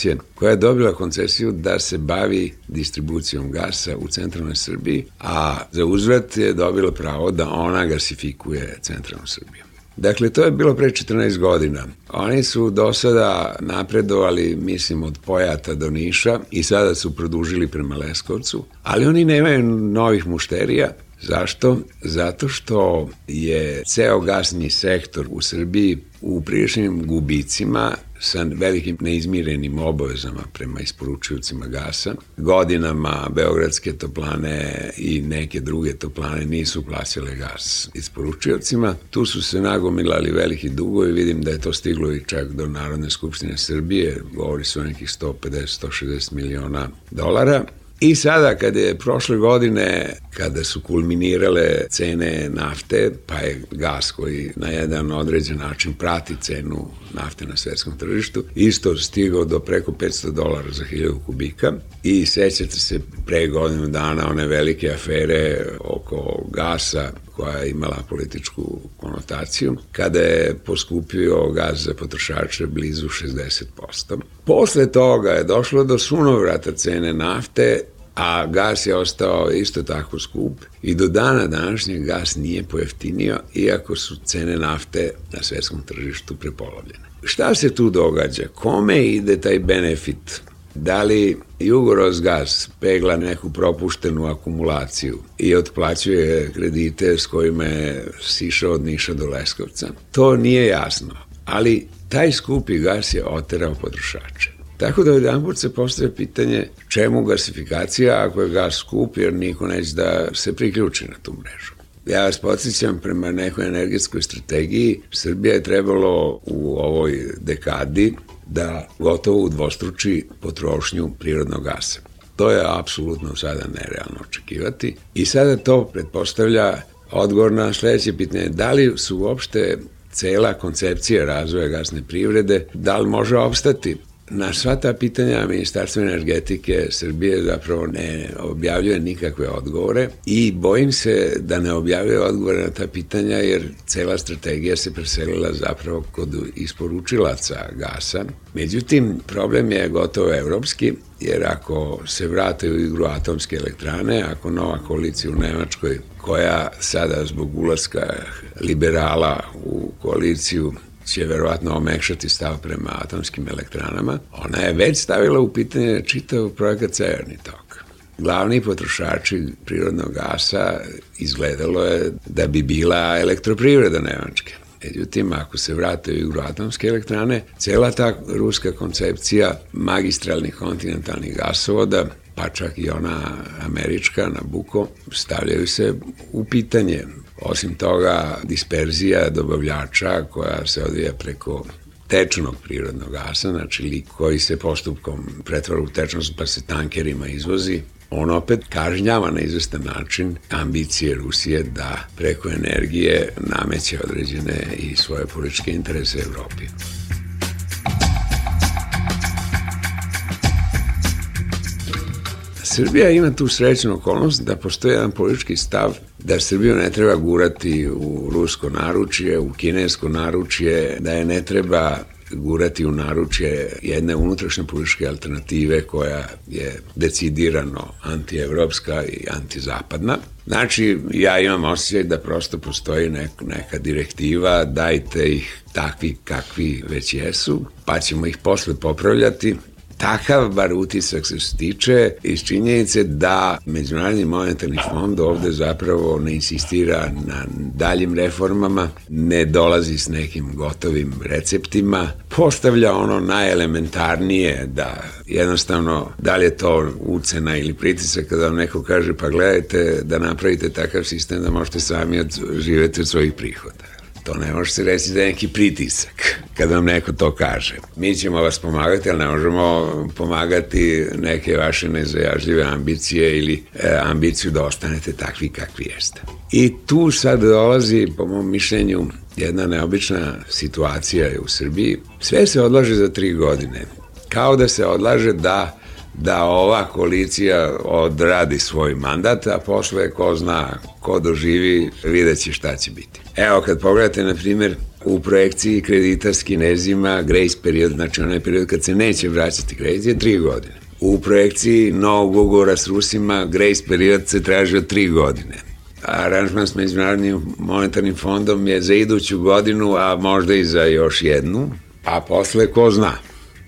je dobila koncesiju da se bavi distribucijom gasa u centralnoj Srbiji, a za uzvrat je dobila pravo da ona gasifikuje centralnu Srbiju. Dakle, to je bilo pre 14 godina. Oni su do sada napredovali, mislim, od Pojata do Niša i sada su produžili prema Leskovcu, ali oni nemaju novih mušterija. Zašto? Zato što je ceo gasni sektor u Srbiji u priličnim gubicima sa velikim neizmirenim obavezama prema isporučiocima gasa. Godinama beogradske toplane i neke druge toplane nisu plaćale gas isporučiocima. Tu su se nagomilali veliki dugovi, vidim da je to stiglo i čak do Narodne skupštine Srbije, govori se o nekih 150-160 miliona dolara. I sada kada je prošle godine, kada su kulminirale cene nafte, pa je gas koji na jedan određen način prati cenu nafte na svetskom tržištu, isto stigao do preko $500 za 1000 kubika i sećate se pre godinu dana one velike afere oko gasa koja je imala političku konotaciju, kada je poskupio gas za potrošače blizu 60%. Posle toga je došlo do sunovrata cene nafte, a gas je ostao isto tako skup i do dana današnjeg gas nije pojeftinio, iako su cene nafte na svetskom tržištu prepolovljene. Šta se tu događa? Kome ide taj benefit? Da li Jugorosgas pegla neku propuštenu akumulaciju i otplaćuje kredite s kojima je sišao od Niša do Leskovca? To nije jasno, ali taj skupi gas je oterao potrošače. Tako da jedanput se postavlja pitanje čemu gasifikacija ako je gas skup, jer niko neće da se priključi na tu mrežu. Ja vas podsjećam, prema nekoj energetskoj strategiji, Srbija je trebalo u ovoj dekadi da gotovo udvostruči potrošnju prirodnog gasa. To je apsolutno sada nerealno očekivati i sada to pretpostavlja odgovor na sledeće pitanje. Da li su uopšte cela koncepcija razvoja gasne privrede, da li može opstati? Na sva ta pitanja Ministarstvo energetike Srbije zapravo ne objavljuje nikakve odgovore i bojim se da ne objavljuje odgovore na ta pitanja jer cela strategija se preselila zapravo kod isporučilaca gasa. Međutim, problem je gotovo evropski jer ako se vrate u igru atomske elektrane, ako nova koalicija u Nemačkoj koja sada zbog ulaska liberala u koaliciju će verovatno omekšati stav prema atomskim elektranama, ona je već stavila u pitanje čitav projekat Severni tok. Glavni potrošači prirodnog gasa izgledalo je da bi bila elektroprivreda Nemačke. Međutim, ako se vrate u igru atomske elektrane, cela ta ruska koncepcija magistralnih kontinentalnih gasovoda, pa čak i ona američka, Nabucco, stavljaju se u pitanje. Osim toga, disperzija dobavljača koja se odvija preko tečnog prirodnog gasa, znači lik koji se postupkom pretvara u tečnost pa se tankerima izvozi, on opet kažnjava na izvestan način ambicije Rusije da preko energije nameće određene i svoje političke interese Evropi. Srbija ima tu srećnu okolnost da postoji jedan politički stav da Srbiju ne treba gurati u rusko naručje, u kinesko naručje, da je ne treba gurati u naručje jedne unutrašnje političke alternative koja je decidirano antievropska i antizapadna. Znači, ja imam osjećaj da prosto postoji neka direktiva, dajte ih takvi kakvi već jesu, pa ćemo ih posle popravljati. Takav bar utisak se stiče iz činjenice da Međunarodni monetarni fond ovde zapravo ne insistira na daljim reformama, ne dolazi s nekim gotovim receptima, postavlja ono najelementarnije da jednostavno da li je to ucena ili pritisak kada vam neko kaže pa gledajte da napravite takav sistem da možete sami živeti od svojih prihoda. To ne može se reći da je neki pritisak kada vam neko to kaže. Mi ćemo vas pomagati, ali ne možemo pomagati neke vaše nezajažljive ambicije ili ambiciju da ostanete takvi kakvi jeste. I tu sad dolazi, po mom mišljenju, jedna neobična situacija u Srbiji. Sve se odlaže za 3 godine. Kao da se odlaže da ova koalicija odradi svoj mandat, a posle ko zna, ko doživi, vidjet će šta će biti. Evo, kad pogledate, na primjer, u projekciji kredita s Kinezima, grace period, znači onaj period kad se neće vraćati kredit, je 3 godine. U projekciji novog ugovora s Rusima, grace period se traži od 3 godine. Aranžman s Međunarodnim monetarnim fondom je za iduću godinu, a možda i za još jednu, a posle ko zna.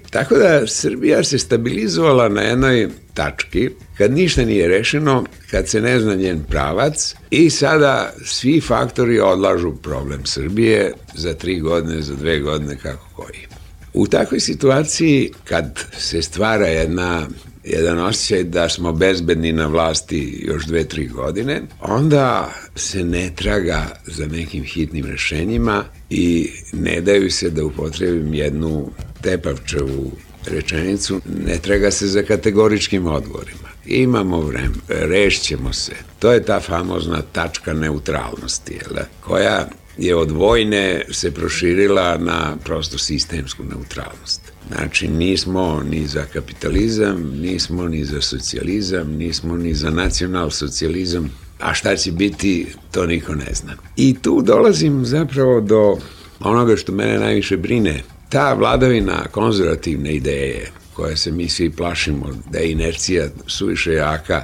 Tako da Srbija se stabilizovala na jednoj tački, kad ništa nije rešeno, kad se ne zna njen pravac i sada svi faktori odlažu problem Srbije za 3 godine, za 2 godine, kako koji. U takvoj situaciji, kad se stvara jedan osjećaj da smo bezbedni na vlasti još 2-3 godine, onda se ne traga za nekim hitnim rešenjima i ne daju se, da upotrebim jednu Tepavčevu rečenicu, ne traga se za kategoričkim odgovorima. imamo vreme, rešćemo se. To je ta famozna tačka neutralnosti, koja je od vojne se proširila na prosto sistemsku neutralnost. Znači, nismo ni za kapitalizam, nismo ni za socijalizam, nismo ni za nacionalsocijalizam, a šta će biti, to niko ne zna. I tu dolazim zapravo do onoga što mene najviše brine. Ta vladavina konzervativne ideje, koje se mi svi plašimo, da je inercija suviše jaka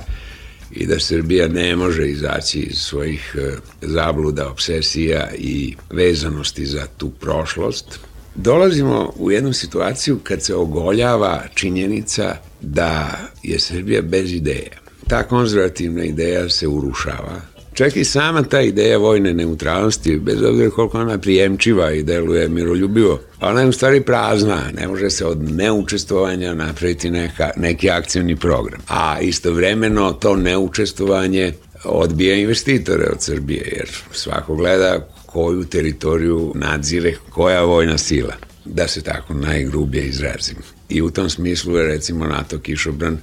i da Srbija ne može izaći iz svojih zabluda, obsesija i vezanosti za tu prošlost, dolazimo u jednu situaciju kad se ogoljava činjenica da je Srbija bez ideja. Ta konzervativna ideja se urušava. Čak i sama ta ideja vojne neutralnosti, bez obzira koliko ona prijemčiva i deluje miroljubivo, ona je u stvari prazna, ne može se od neučestvovanja napraviti neki akcioni program. A istovremeno to neučestvovanje odbija investitore od Srbije, jer svako gleda koju teritoriju nadzire koja vojna sila, da se tako najgrubije izrazim. I u tom smislu je recimo NATO kišobran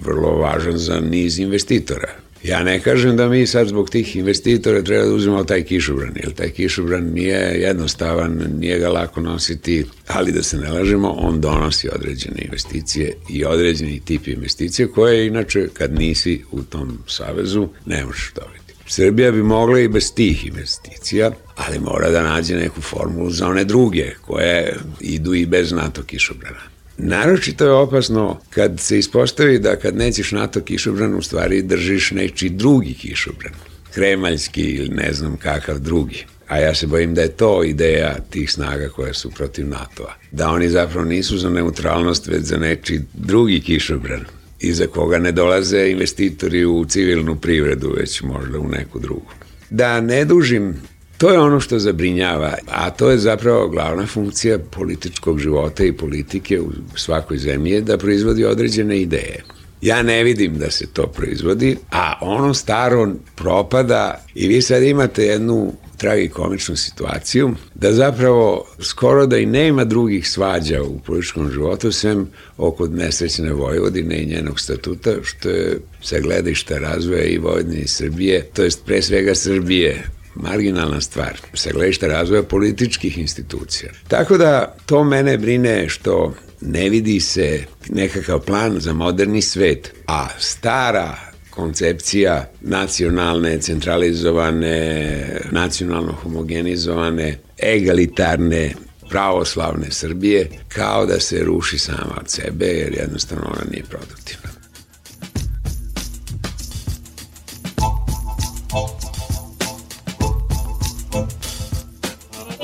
vrlo važan za niz investitora. Ja ne kažem da mi sad zbog tih investitora treba da uzmemo taj kišobran, jer taj kišobran nije jednostavan, nije ga lako nositi, ali da se ne lažemo, on donosi određene investicije i određeni tip investicije koje inače kad nisi u tom savezu ne možeš dobiti. Srbija bi mogla i bez tih investicija, ali mora da nađe neku formulu za one druge koje idu i bez NATO kišobrana. Naročito je opasno kad se ispostavi da kad nećeš NATO kišobran, u stvari držiš nečiji drugi kišobran, kremaljski ili ne znam kakav drugi. A ja se bojim da je to ideja tih snaga koje su protiv NATO-a. Da oni zapravo nisu za neutralnost, već za nečiji drugi kišobran, iza koga ne dolaze investitori u civilnu privredu, već možda u neku drugu. Da ne dužim, to je ono što zabrinjava, a to je zapravo glavna funkcija političkog života i politike u svakoj zemlji, da proizvodi određene ideje. Ja ne vidim da se to proizvodi, a ono staro propada i vi sad imate jednu tragikomičnu situaciju da zapravo skoro da i nema drugih svađa u političkom životu sem oko nesrećne Vojvodine i njenog statuta, što je sa gledišta razvoja i Vojvodine i Srbije, to jest pre svega Srbije, marginalna stvar, sa gledišta razvoja političkih institucija. Tako da to mene brine što ne vidi se nekakav plan za moderni svet, a stara koncepcija nacionalne, centralizovane, nacionalno homogenizovane, egalitarne, pravoslavne Srbije kao da se ruši sama od sebe, jer jednostavno ona nije produktivna.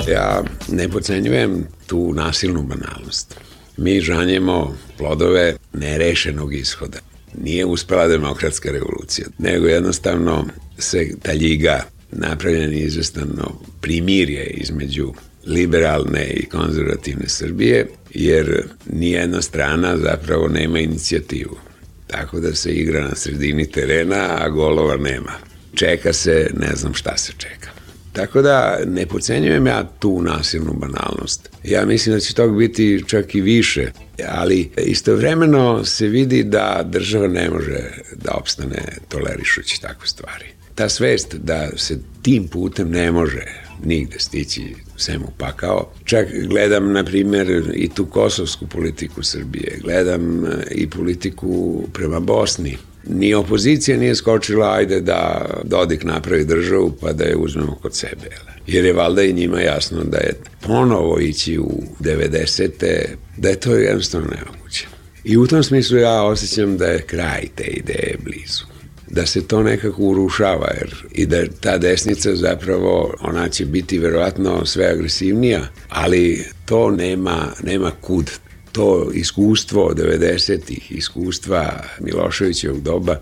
Ja ne podcenjujem tu nasilnu banalnost. Mi žanjemo plodove nerešenog ishoda. Nije uspela demokratska revolucija, nego jednostavno se ta ljiga, napravljen izvestano primirje između liberalne i konzervativne Srbije, jer nijedna strana zapravo nema inicijativu. Tako da se igra na sredini terena, a golova nema. Čeka se, ne znam šta se čeka. Tako da ne podcenjujem ja tu nasilnu banalnost. Ja mislim da će tog biti čak i više, ali istovremeno se vidi da država ne može da opstane tolerišući takve stvari. Ta svest da se tim putem ne može nigde stići sem u pakao. Čak gledam, na primjer, i tu kosovsku politiku Srbije, gledam i politiku prema Bosni. Ni opozicija nije skočila, ajde da Dodik napravi državu pa da je uzmemo kod sebe. Jer je valjda i njima jasno da je ponovo ići u 90. da je to jednostavno nemoguće. I u tom smislu ja osjećam da je kraj te ideje blizu. Da se to nekako urušava, jer i da ta desnica zapravo, ona će biti verovatno sve agresivnija, ali to nema kud. To iskustvo 90-ih, iskustva Miloševićevog doba,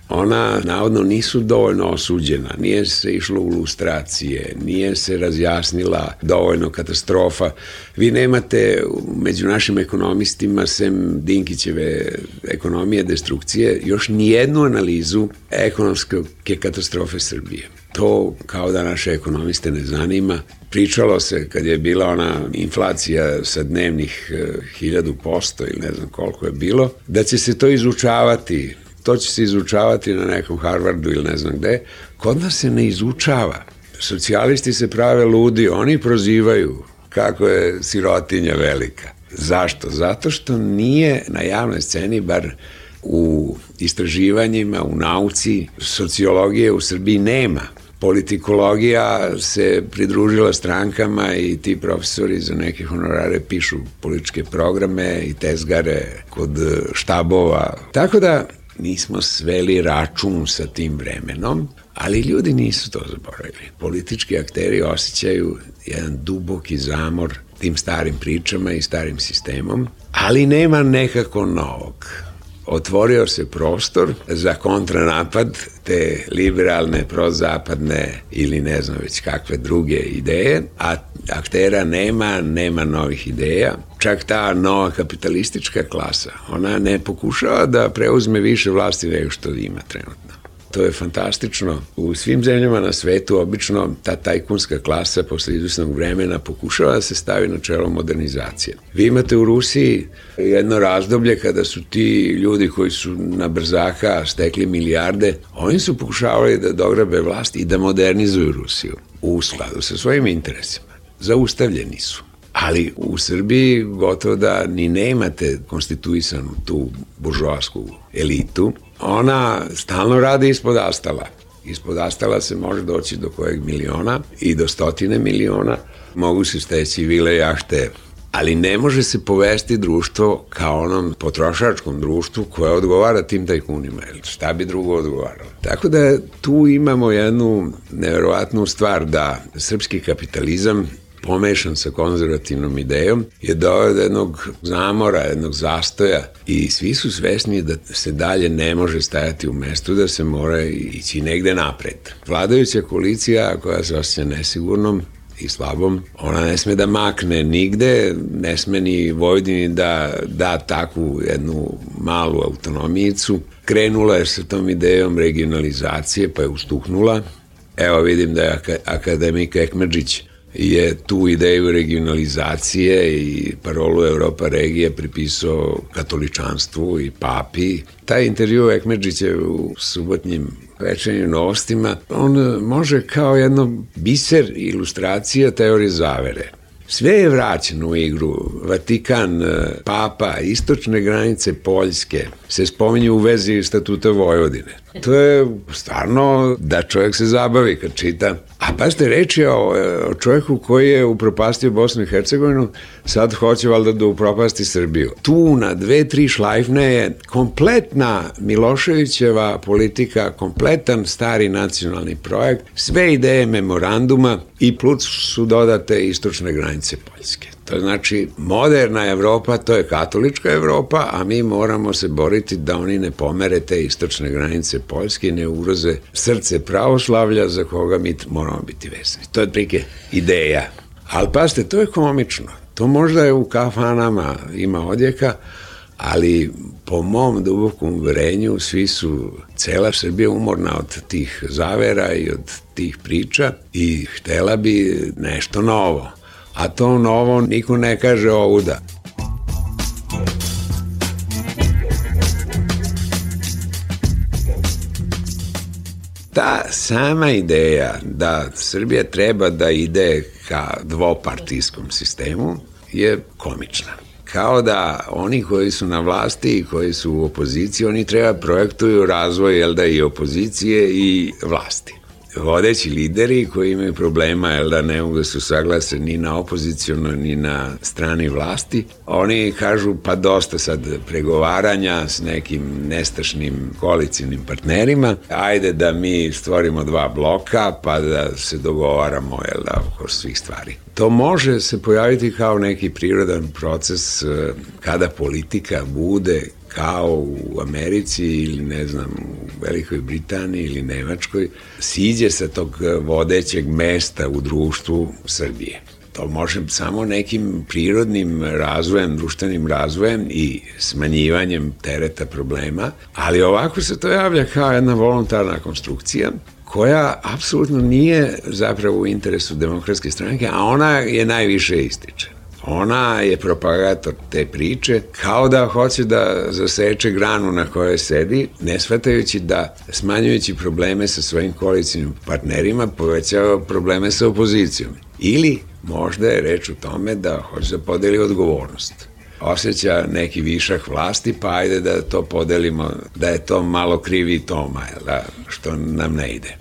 ona navodno nisu dovoljno osuđena, nije se išlo u lustracije, nije se razjasnila dovoljno katastrofa. Vi nemate među našim ekonomistima, sem Dinkićeve ekonomije destrukcije, još nijednu analizu ekonomske katastrofe Srbije. To kao da naše ekonomiste ne zanima. Pričalo se kad je bila ona inflacija sa dnevnih 1000% ili ne znam koliko je bilo, da će se to izučavati. to će se izučavati na nekom Harvardu ili ne znam gde. Kod nas se ne izučava. Socijalisti se prave ludi, oni prozivaju kako je sirotinja velika. Zašto? Zato što nije na javnoj sceni, bar u istraživanjima, u nauci, sociologije u Srbiji nema. Politikologija se pridružila strankama i ti profesori za neke honorare pišu političke programe i tezgare kod štabova. Tako da nismo sveli račun sa tim vremenom, ali ljudi nisu to zaboravili. Politički akteri osjećaju jedan duboki zamor tim starim pričama i starim sistemom, ali nema nekako novog. Otvorio se prostor za kontranapad te liberalne, prozapadne ili ne znam već kakve druge ideje, a aktera nema novih ideja. Čak ta nova kapitalistička klasa, ona ne pokušava da preuzme više vlasti nego što ima trenutno. To je fantastično. U svim zemljama na svetu obično ta tajkunska klasa posle izvesnog vremena pokušava da se stavi na čelo modernizacije. Vi imate u Rusiji jedno razdoblje kada su ti ljudi koji su na brzaka stekli milijarde, oni su pokušavali da dograbe vlast i da modernizuju Rusiju u skladu sa svojim interesima. Zaustavljeni su. Ali u Srbiji gotovo da ni nemate konstituisanu tu buržoasku elitu. Ona stalno radi ispod astala. Ispod astala se može doći do kojeg miliona i do 100 miliona. Mogu se steći vile, jahte, ali ne može se povesti društvo kao onom potrošačkom društvu koje odgovara tim tajkunima. Šta bi drugo odgovaralo? Tako da tu imamo jednu neverovatnu stvar da srpski kapitalizam pomešan sa konzervativnom idejom je doveo do jednog zamora, jednog zastoja i svi su svesni da se dalje ne može stajati u mestu, da se mora ići negde napred. Vladajuća koalicija koja se osjeća nesigurnom i slabom, ona ne sme da makne nigde, ne sme ni Vojvodini da takvu jednu malu autonomijicu. Krenula je sa tom idejom regionalizacije pa je ustuhnula. Evo vidim da je akademik Ekmedžić je tu ideju regionalizacije i parolu Europa regije pripisao katoličanstvu i papi. Taj intervju Ekmedžića u subotnjim večernjim novostima, on može kao jedno biser ilustracija teorije zavere. Sve je vraćeno u igru. Vatikan, papa, istočne granice Poljske se spominju u vezi statuta Vojvodine. To je stvarno da čovjek se zabavi kad čita. A pazite, reč je o čovjeku koji je upropastio Bosnu i Hercegovinu, sad hoće valjda da upropasti Srbiju. Tu na 2-3 šlajfne je kompletna Miloševićeva politika, kompletan stari nacionalni projekt, sve ideje memoranduma i plus su dodate istočne granice Poljske. To znači moderna Evropa, to je katolička Evropa, a mi moramo se boriti da oni ne pomere te istočne granice Poljske i ne ugroze srce pravoslavlja za koga mi moramo biti vezani. To je otprilike ideja. Ali pazite, to je komično. To možda je u kafanama ima odjeka, ali po mom dubokom uverenju svi su, cela Srbija umorna od tih zavera i od tih priča i htela bi nešto novo. A to novo niko ne kaže ovuda. Ta sama ideja da Srbija treba da ide ka dvopartijskom sistemu je komična. Kao da oni koji su na vlasti i koji su u opoziciji, oni treba projektuju razvoj i opozicije i vlasti. Vodeći lideri koji imaju problema, ne mogu da se saglase ni na opozicionoj, ni na strani vlasti, oni kažu pa dosta sad pregovaranja s nekim nestašnim koalicijnim partnerima, ajde da mi stvorimo 2 bloka pa da se dogovaramo oko svih stvari. To može se pojaviti kao neki prirodan proces kada politika bude kao u Americi ili ne znam u Velikoj Britaniji ili Nemačkoj, siđe sa tog vodećeg mesta u društvu Srbije. To može samo nekim prirodnim razvojem, društvenim razvojem i smanjivanjem tereta problema, ali ovako se to javlja kao jedna voluntarna konstrukcija koja apsolutno nije zapravo u interesu Demokratske stranke, a ona je najviše ističe. Ona je propagator te priče, kao da hoće da zaseče granu na kojoj sedi, ne shvatajući da smanjujući probleme sa svojim koalicijnim partnerima povećava probleme sa opozicijom. Ili možda je reč o tome da hoće da podeli odgovornost. Osjeća neki višak vlasti, pa ajde da to podelimo, da je to malo krivi Toma, što nam ne ide.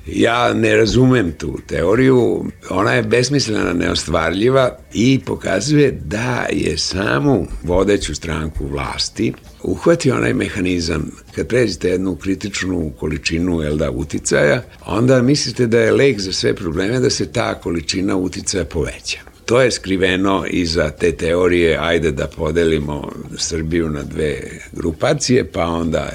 Ja ne razumem tu teoriju, ona je besmislena, neostvarljiva i pokazuje da je samu vodeću stranku vlasti uhvatio onaj mehanizam. Kad pređete jednu kritičnu količinu uticaja, onda mislite da je lek za sve probleme da se ta količina uticaja poveća. To je skriveno iza te teorije, ajde da podelimo Srbiju na dve grupacije, pa onda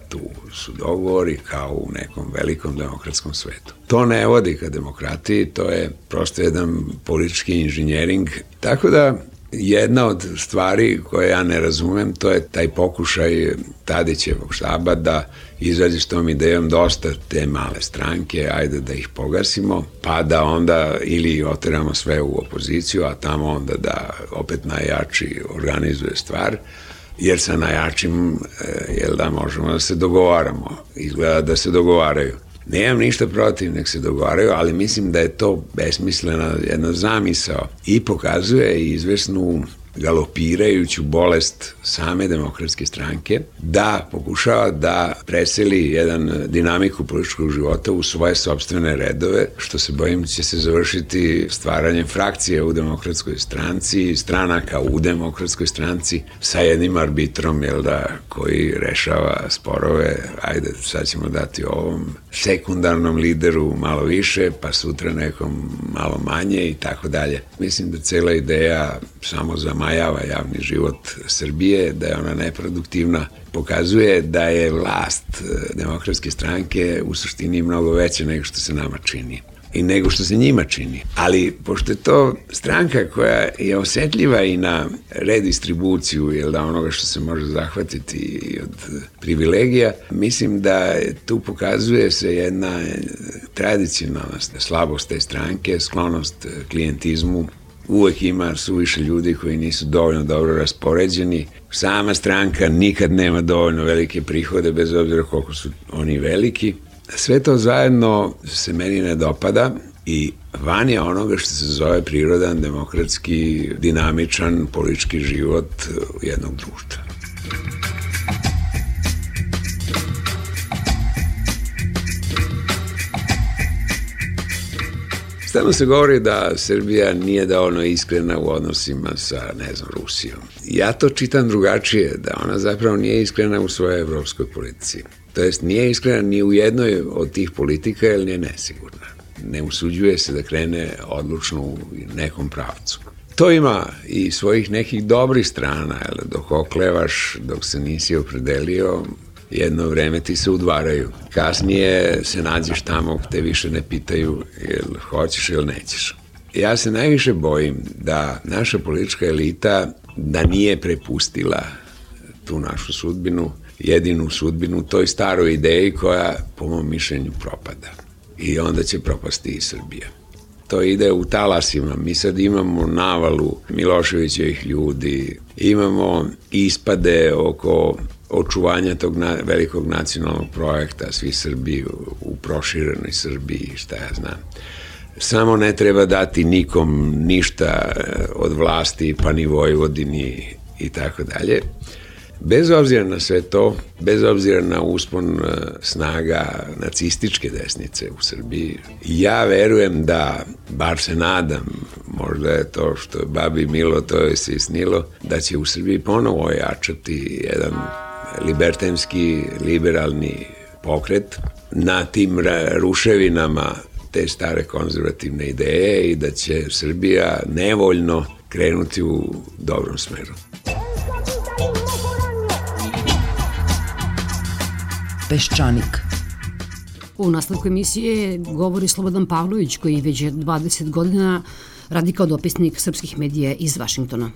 tu su dogovori kao u nekom velikom demokratskom svetu. To ne vodi ka demokratiji, to je prosto jedan politički inženjering. Tako da jedna od stvari koje ja ne razumem, to je taj pokušaj Tadićevog štaba da izađe s tom idejom dosta te male stranke, ajde da ih pogasimo, pa da onda ili oteramo sve u opoziciju, a tamo onda da opet najjači organizuje stvar, jer sa najjačim možemo da se dogovaramo, izgleda da se dogovaraju. Nemam ništa protiv, nek se dogovaraju, ali mislim da je to besmislena jedna zamisao i pokazuje izvesnu galopirajuću bolest same demokratske stranke da pokušava da preseli jedan dinamiku političkog života u svoje sopstvene redove, što se bojim će se završiti stvaranjem frakcije u demokratskoj stranci, stranaka u demokratskoj stranci sa jednim arbitrom koji rešava sporove, ajde sad ćemo dati ovom sekundarnom lideru malo više, pa sutra nekom malo manje i tako dalje. Mislim da cela ideja samo zamajava javni život Srbije, da je ona neproduktivna, pokazuje da je vlast demokratske stranke u suštini mnogo veća nego što se nama čini i nego što se njima čini. Ali pošto je to stranka koja je osetljiva i na redistribuciju onoga što se može zahvatiti od privilegija, mislim da tu pokazuje se jedna tradicionalna slabost te stranke, sklonost klijentizmu. Uvek ima suviše ljudi koji nisu dovoljno dobro raspoređeni. Sama stranka nikad nema dovoljno velike prihode, bez obzira koliko su oni veliki. Sve to zajedno se meni ne dopada i van je onoga što se zove prirodan, demokratski, dinamičan politički život jednog društva. Stalno se govori da Srbija nije dovoljno iskrena u odnosima sa, Rusijom. Ja to čitam drugačije, da ona zapravo nije iskrena u svojoj evropskoj politici. To jest, nije iskrena ni u jednoj od tih politika, jer nije nesigurna. Ne usuđuje se da krene odlučno u nekom pravcu. To ima i svojih nekih dobrih strana, dok oklevaš, dok se nisi opredelio, jedno vreme ti se udvaraju. Kasnije se nađeš tamo gde više ne pitaju jel hoćeš ili nećeš. Ja se najviše bojim da naša politička elita da nije prepustila tu našu sudbinu, jedinu sudbinu toj staroj ideji koja po mom mišljenju propada. I onda će propasti i Srbija. To ide u talasima. Mi sad imamo navalu Miloševićevih ljudi, imamo ispade oko očuvanja tog velikog nacionalnog projekta, svi Srbi u proširenoj Srbiji, šta ja znam. Samo ne treba dati nikom ništa od vlasti, pa ni Vojvodini i tako dalje. Bez obzira na sve to, bez obzira na uspon snaga nacističke desnice u Srbiji, ja verujem da, bar se nadam, možda je to što je babi milo, to je se i snilo, da će u Srbiji ponovo ojačati jedan libertanski, liberalni pokret na tim ruševinama te stare konzervativne ideje i da će Srbija nevoljno krenuti u dobrom smeru. Peščanik. U nastavku emisije govori Slobodan Pavlović, koji već 20 godina radi kao dopisnik srpskih medija iz Vašingtona.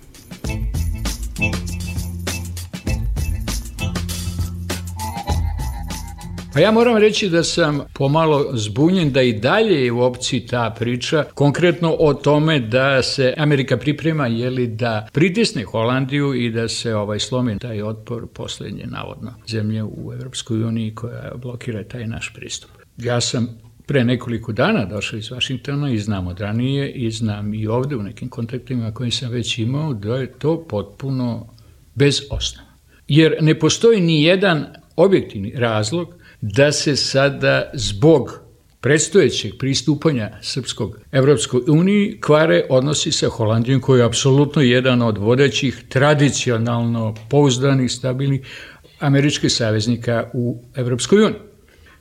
Pa ja moram reći da sam pomalo zbunjen da i dalje je u opciji ta priča, konkretno o tome da se Amerika priprema da pritisne Holandiju i da se slomi taj otpor poslednje navodno zemlje u Evropskoj uniji koja blokira taj naš pristup. Ja sam pre nekoliko dana došao iz Vašingtona i znam od ranije i znam i ovde u nekim kontaktima koje sam već imao da je to potpuno bez osnova. Jer ne postoji ni jedan objektivni razlog da se sada zbog predstojećeg pristupanja srpskog Evropskoj uniji kvare odnosi sa Holandijom, koji je apsolutno jedan od vodećih, tradicionalno pouzdanih, stabilnih američkih saveznika u Evropskoj uniji.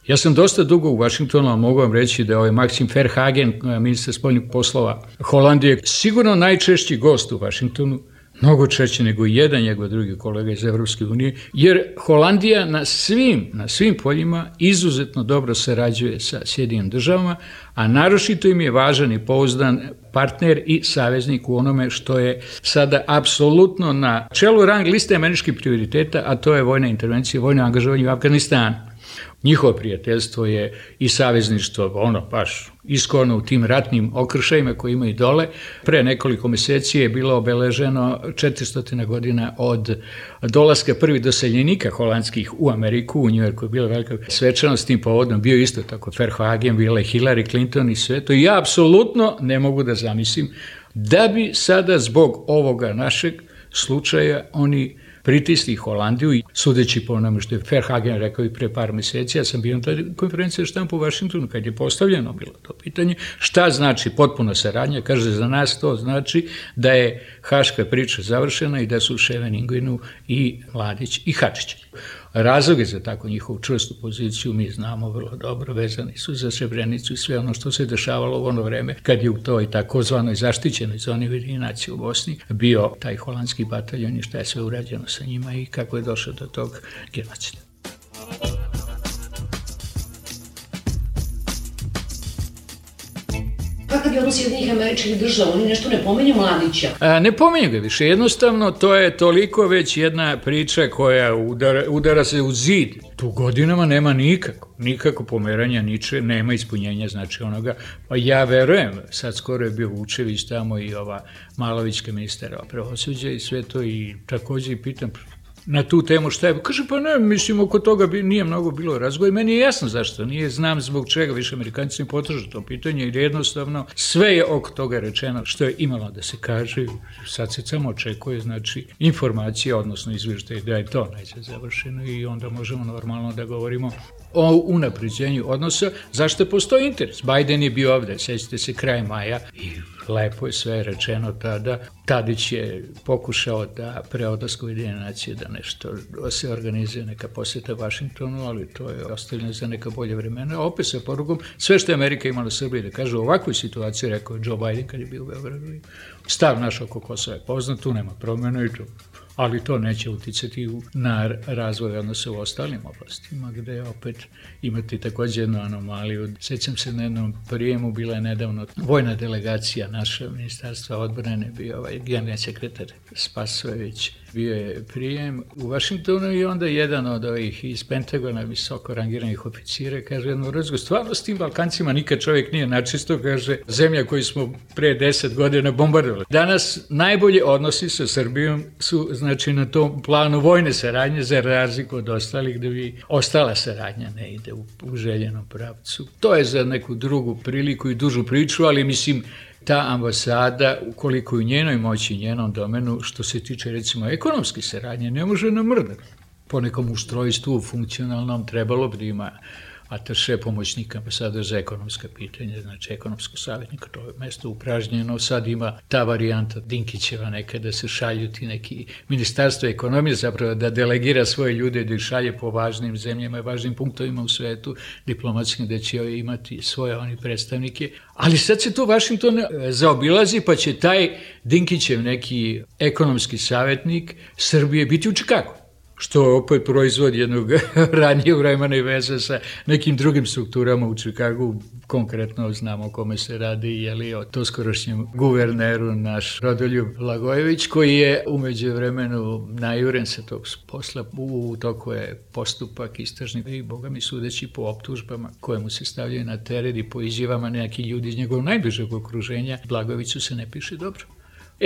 Ja sam dosta dugo u Vašingtonu, ali mogu vam reći da je Maxim Verhagen, ministar spoljnih poslova Holandije, sigurno najčešći gost u Vašingtonu, mnogo češće nego jedan njegov drugi kolega iz Evropske unije, jer Holandija na svim poljima izuzetno dobro sarađuje sa Sjedinim državama, a naročito im je važan i pouzdan partner i saveznik u onome što je sada apsolutno na čelu rang liste američkih prioriteta, a to je vojna intervencija, vojno angažovanje u Afganistanu. Njihovo prijateljstvo je i savezništvo, baš iskorno u tim ratnim okršajima koji imaju dole. Pre nekoliko meseci je bilo obeleženo 400 godina od dolaska prvih doseljenika holandskih u Ameriku, u Njujorku je bila velika svečanost, tim povodom bio isto tako Verhagen, bila je Hillary Clinton i sve to. I ja apsolutno ne mogu da zamislim da bi sada zbog ovoga našeg slučaja oni pritisli Holandiju i sudeći po onome što je Verhagen rekao i pre par meseci, ja sam bio na toj konferenciji štampu u Vašingtonu kad je postavljeno bilo to pitanje, šta znači potpuna saradnja, kaže za nas to znači da je haška priča završena i da su Ševeningujnu i Mladić i Hadžić. Razloge za tako njihovu čvrstu poziciju mi znamo vrlo dobro, vezani su za Srebrenicu i sve ono što se dešavalo u ono vreme kad je u toj takozvanoj zaštićenoj zoni Ujedinjenih nacija u Bosni bio taj holandski bataljon i šta je sve urađeno sa njima i kako je došao do tog genocida. Kakav je odnos Sjedinjenih Američkih Država? Oni nešto ne pominju Mladića? Ne pominju ga više. Jednostavno, to je toliko već jedna priča koja udara se u zid. Tu godinama nema nikako pomeranja, nema ispunjenja, znači onoga. Pa ja verujem, sad skoro je bio Vučević tamo i ova Malovićka ministara pravosuđa i sve to i takođe i pitam na tu temu šta je. Kaže, pa ne, mislim, oko toga nije mnogo bilo razgovora. Meni je jasno zašto nije, znam zbog čega više Amerikanci ne potražu to pitanje, jer jednostavno sve je oko toga rečeno što je imalo da se kaže. Sad se samo očekuje, znači, informacija, odnosno izvještaj da je to najzad završeno i onda možemo normalno da govorimo o unapređenju odnosa, zašto postoji interes. Biden je bio ovde, sećate se, kraj maja i lepo je sve rečeno tada. Tadić je pokušao da pre odlaska Ujedinjene nacije da nešto se organizuje, neka posjeta Vašingtonu, ali to je ostavljeno za neka bolje vremena. A opet sa porugom, sve što je Amerika imala u Srbiji da kaže u ovakvoj situaciji, rekao je Joe Biden kad je bio u Beogradu. Stav naš oko Kosova je poznat, tu nema promjena i to. Ali to neće uticati na razvoj odnosa u ostalim oblastima, gde opet imate takođe jednu anomaliju. Sećam se na jednom prijemu, bila je nedavno vojna delegacija naša ministarstva odbrane, bio generalni sekretar Spasojević, bio je prijem u Vašingtonu i onda jedan od ovih iz Pentagona visoko rangiranih oficira kaže jednu razgovor, stvarno s tim Balkancima nikad čovjek nije načisto, kaže, zemlja koju smo pre 10 godina bombardovali. Danas najbolje odnosi sa Srbijom su, znači, na tom planu vojne saradnje, za razliku od ostalih, da bi ostala saradnja ne ide u željenom pravcu. To je za neku drugu priliku i dužu priču, ali mislim, ta ambasada, ukoliko u njenoj moći, njenom domenu, što se tiče recimo ekonomske saradnje, ne može namrdati. Po nekom ustrojstvu funkcionalnom trebalo bi da ima ataše pomoćnika ambasadora za ekonomska pitanja, znači ekonomskog savjetnika, to je mesto upražnjeno, sad ima ta varijanta Dinkićeva nekada se šalju ti neki ministarstvo ekonomije, zapravo da delegira svoje ljude da ih šalje po važnim zemljama i važnim punktovima u svetu diplomatskim, da će imati svoje oni predstavnike, ali sad se to Vašington zaobilazi, pa će taj Dinkićev neki ekonomski savjetnik Srbije biti u Čikagu. što opet proizvod jednog ranije vremena i veze sa nekim drugim strukturama u Čikagu. Konkretno znamo o kome se radi, o to skorošnjem guverneru naš Rodoljub Blagojević, koji je umeđu vremenu najuren sa tog posla. U toku je postupak istražni i boga mi sudeći po optužbama koje mu se stavljaju na teret i po izjavama neki ljudi iz njegovog najbližeg okruženja. Blagojeviću se ne piše dobro.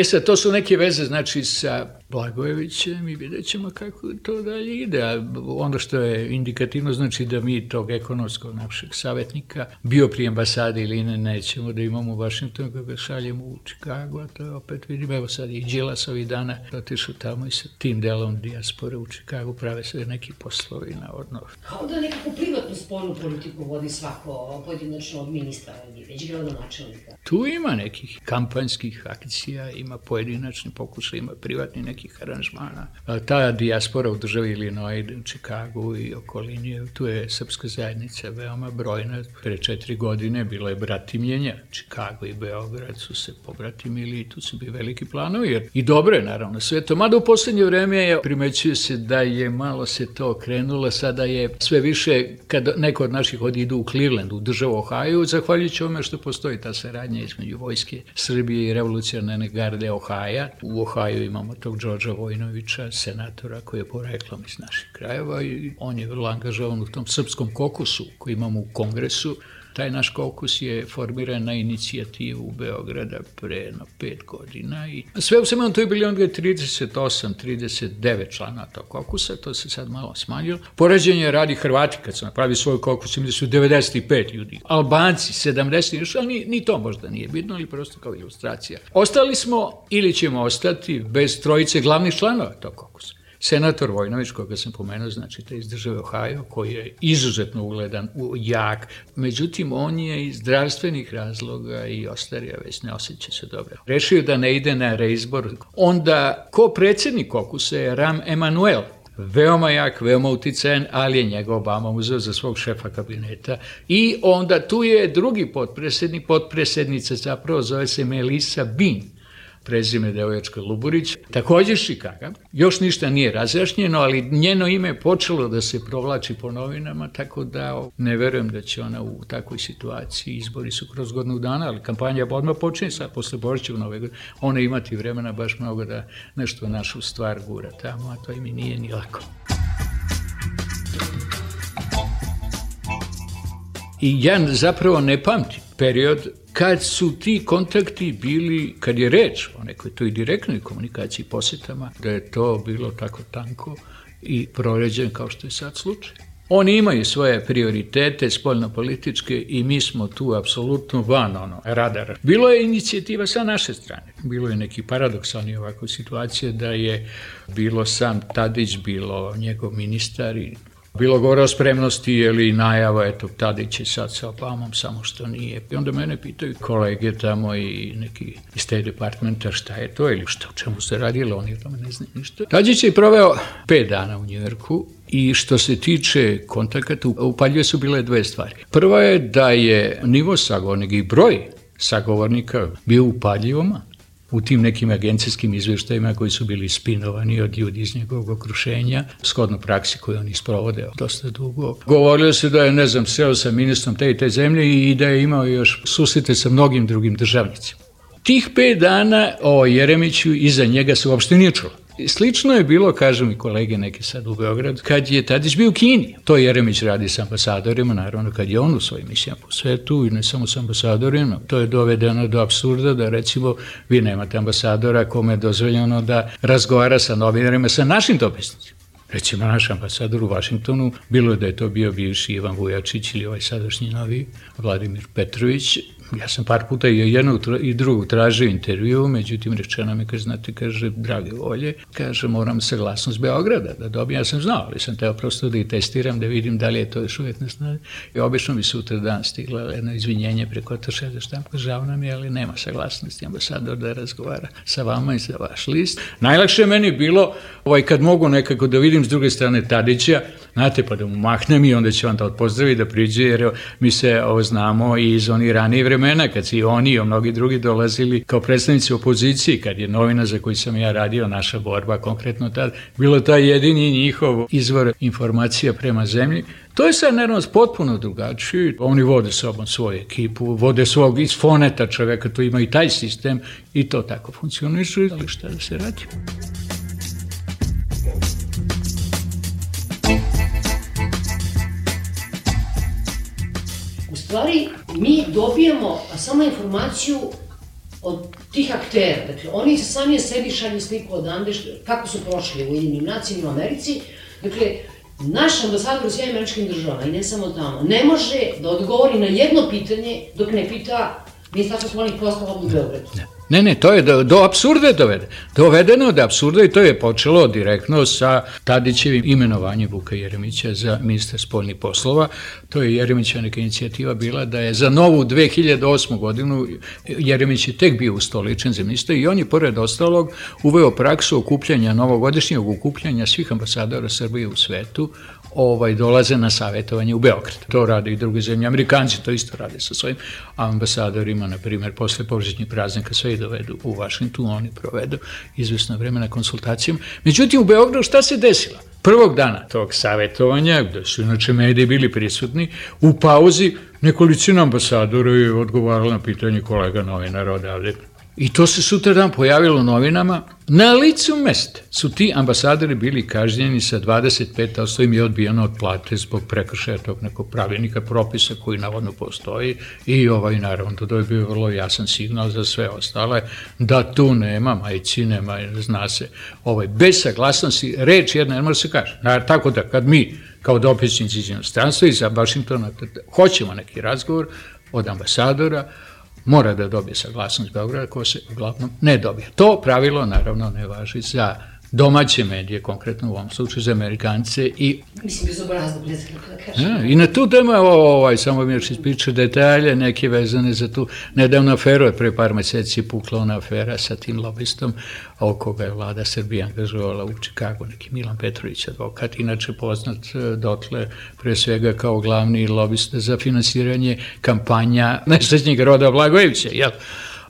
Sad, to su neke veze, znači, sa Blagojevićem i vidjet ćemo kako to dalje ide. A ono što je indikativno, znači da mi tog ekonomskog našeg savjetnika, bio pri ambasadi ili nećemo da imamo u Vašingtonu, kako ga šaljemo u Čikagu, a to opet vidim, evo sad i Đilas ovih dana otišao tamo i sa tim delom dijaspore u Čikagu prave sve neki poslovi navodno. Kao da nekako privatnu spoljnu politiku vodi svako pojedinačno od ministra, već gradonačelnika. Tu ima nekih kampanjskih akcija, ima pojedinačni pokušaj, ima privatni nekih aranžmana. Ta dijaspora u državi Illinois, u Čikagu i okolini, tu je srpska zajednica veoma brojna. Pre 4 godine bilo je bratimljenja. Čikago i Beograd su se pobratimili i tu su bili veliki planovi. Jer i dobro je naravno sve to. Mada u poslednje vreme primećuje se da je malo se to krenulo. Sada je sve više, kad neko od naših idu u Cleveland, u državu Ohio, zahvaljujući ovome što postoji ta saradnja između vojske Srbije i revolucionarne garde Ohaja. U Ohaju imamo tog Đorđa Vojinovića, senatora koji je poreklom iz naših krajeva i on je vrlo angažovan u tom srpskom kokusu koji imamo u Kongresu. Taj naš kokus je formiran na inicijativu Beograda pre 5 godina i sve u svemu to je bilo onda 38-39 člana tog kokusa, to se sad malo smanjilo. Poređenje radi Hrvati kad su napravili svoj kokus, imali su 95 ljudi, Albanci 70, ali ni to možda nije bitno, ali prosto kao ilustracija. Ostali smo ili ćemo ostati bez trojice glavnih članova tog kokusa. Senator Vojinović, koga sam pomenuo, znači te iz države Ohio, koji je izuzetno ugledan, jak, međutim on je iz zdravstvenih razloga i ostario, već ne osjeća se dobro. Rešio da ne ide na reizbor. Onda, ko predsjednik kokusa je Rahm Emanuel, veoma jak, veoma uticajan, ali je njega Obama uzeo za svog šefa kabineta. I onda tu je drugi potpredsjednica zapravo zove se Melissa Bean, prezime devoječka Luburić, također iz Čikaga. Još ništa nije razjašnjeno, ali njeno ime je počelo da se provlači po novinama, tako da ne verujem da će ona u takvoj situaciji, izbori su kroz godinu dana, ali kampanja odmah počinje sad, posle Božića u Nove godine, ona imati vremena baš mnogo da nešto našu stvar gura tamo, a to im i nije ni lako. I ja zapravo ne pamtim period kad su ti kontakti bili, kad je reč o nekoj toj direktnoj komunikaciji, posjetama, da je to bilo tako tanko i proređen kao što je sad slučaj. Oni imaju svoje prioritete spoljnopolitičke i mi smo tu apsolutno van radara. Bilo je inicijativa sa naše strane. Bilo je neki paradoksalni ovako situacije da je bilo sam Tadić, bilo njegov ministar i bilo govore o spremnosti ili najava, eto, Tadić je sad sa Obamom, samo što nije. I onda mene pitaju kolege tamo i neki iz State Departmenta šta je to ili šta, o čemu se radilo, oni o tome ne znaju ništa. Tadić je proveo 5 dana u Njujorku i što se tiče kontakata, upaljive su bile 2 stvari. Prva je da je nivo sagovornika i broj sagovornika bio upaljivo man. U tim nekim agencijskim izveštajima koji su bili spinovani od ljudi iz njegovog okruženja, shodno praksi koju oni sprovode dosta dugo. Govorilo se da je, ne znam, seo sa ministrom te i te zemlje i da je imao još susrete sa mnogim drugim državnicima. Tih 5 dana o Jeremiću iza njega se uopšte nije čulo. Slično je bilo, kažu mi kolege neke sad u Beogradu, kad je Tadić bio u Kini. To Jeremić radi s ambasadorima, naravno kad je on u svojim misijama po svetu i ne samo s ambasadorima. To je dovedeno do apsurda da recimo vi nemate ambasadora kome je dozvoljeno da razgovara sa novinarima, sa našim dopisnicima. Recimo naš ambasador u Vašingtonu, bilo je da je to bio bivši Ivan Vujačić ili ovaj sadašnji novi Vladimir Petrović. Ja sam par puta i jednog i drugog tražio intervju, međutim rečeno mi, kaže, drage volje, kaže, moram saglasnost Beograda da dobijem. Ja sam znao, ali sam teo prosto da i testiram, da vidim da li je to još uvijek na snazi. I obično mi sutra dan stigla jedno izvinjenje preko atašeja za štampu, žao nam je, ali nema saglasnosti ambasador da razgovara sa vama i za vaš list. Najlakše je meni bilo Kad mogu nekako da vidim s druge strane Tadića, znate, pa da mu mahnem i onda će on da odpozdravi, da priđe, jer mi se znamo i iz onih ranije vremena, kad si oni i mnogi drugi dolazili kao predstavnici opozicije, kad je novina za koju sam ja radio, Naša borba, konkretno tad, bilo taj jedini njihov izvor informacija prema zemlji. To je sad, naravno, potpuno drugačije. Oni vode sobom svoju ekipu, vode svog iz foneta čoveka, to ima i taj sistem i to tako funkcioniše, ali šta da se radi? U stvari, mi dobijamo samo informaciju od tih aktera. Dakle, oni sami sebi šalju sliku odande, kako su prošli u Ujedinjenim nacijama u Americi. Dakle, naš ambasador u Sjedinjenim Američkim Državama, i ne samo tamo, ne može da odgovori na jedno pitanje dok ne pita Ministarstvo spoljnih poslova u Beogradu. Ne, to je do apsurda dovedeno do apsurda i to je počelo direktno sa Tadićevim imenovanjem Vuka Jeremića za ministra spoljnih poslova. To je Jeremićeva neka inicijativa bila da je za novu 2008. godinu, Jeremić je tek bio ustoličen za ministra i on je pored ostalog uveo praksu okupljanja, novogodišnjeg okupljanja svih ambasadora Srbije u svetu, dolaze na savjetovanje u Beograd. To rade i druge zemlje. Amerikanci to isto rade sa svojim ambasadorima, na primjer, posle božićnih praznika sve i dovedu u Vašington, oni provedu izvesno vreme na konsultacijama. Međutim, u Beogradu šta se desilo? Prvog dana tog savjetovanja, gde su inače mediji bili prisutni, u pauzi nekolicina ambasadora je odgovarala na pitanje kolega novinara odavde. I to se sutradan pojavilo u novinama. Na licu mesta su ti ambasadori bili kažnjeni sa 25%, im je odbijeno od plate zbog prekršaja tog nekog pravilnika, propisa koji navodno postoji i naravno to je bio vrlo jasan signal za sve ostale da tu nema majci, nema, zna se, bez saglasnosti, reč jedna ne može se kaže. Tako da kad mi kao dopisnici iz inostranstva iz Vašingtona hoćemo neki razgovor od ambasadora, mora da dobije saglasnost Beograda, ko se uglavnom ne dobije. To pravilo, naravno, ne važi za domaće medije, konkretno u ovom slučaju za Amerikance i... Mislim, bezobrazno, ne znam kako da kažem. I na tu temu, samo mi još ispriča detalje, neke vezane za tu nedavnu aferu, pre par meseci pukla ona afera sa tim lobistom, oko ga je vlada Srbije angažovala u Čikagu, neki Milan Petrović, advokat, inače poznat dotle, pre svega kao glavni lobista za finansiranje kampanja nesrećnjeg Roda Blagojevića, jel?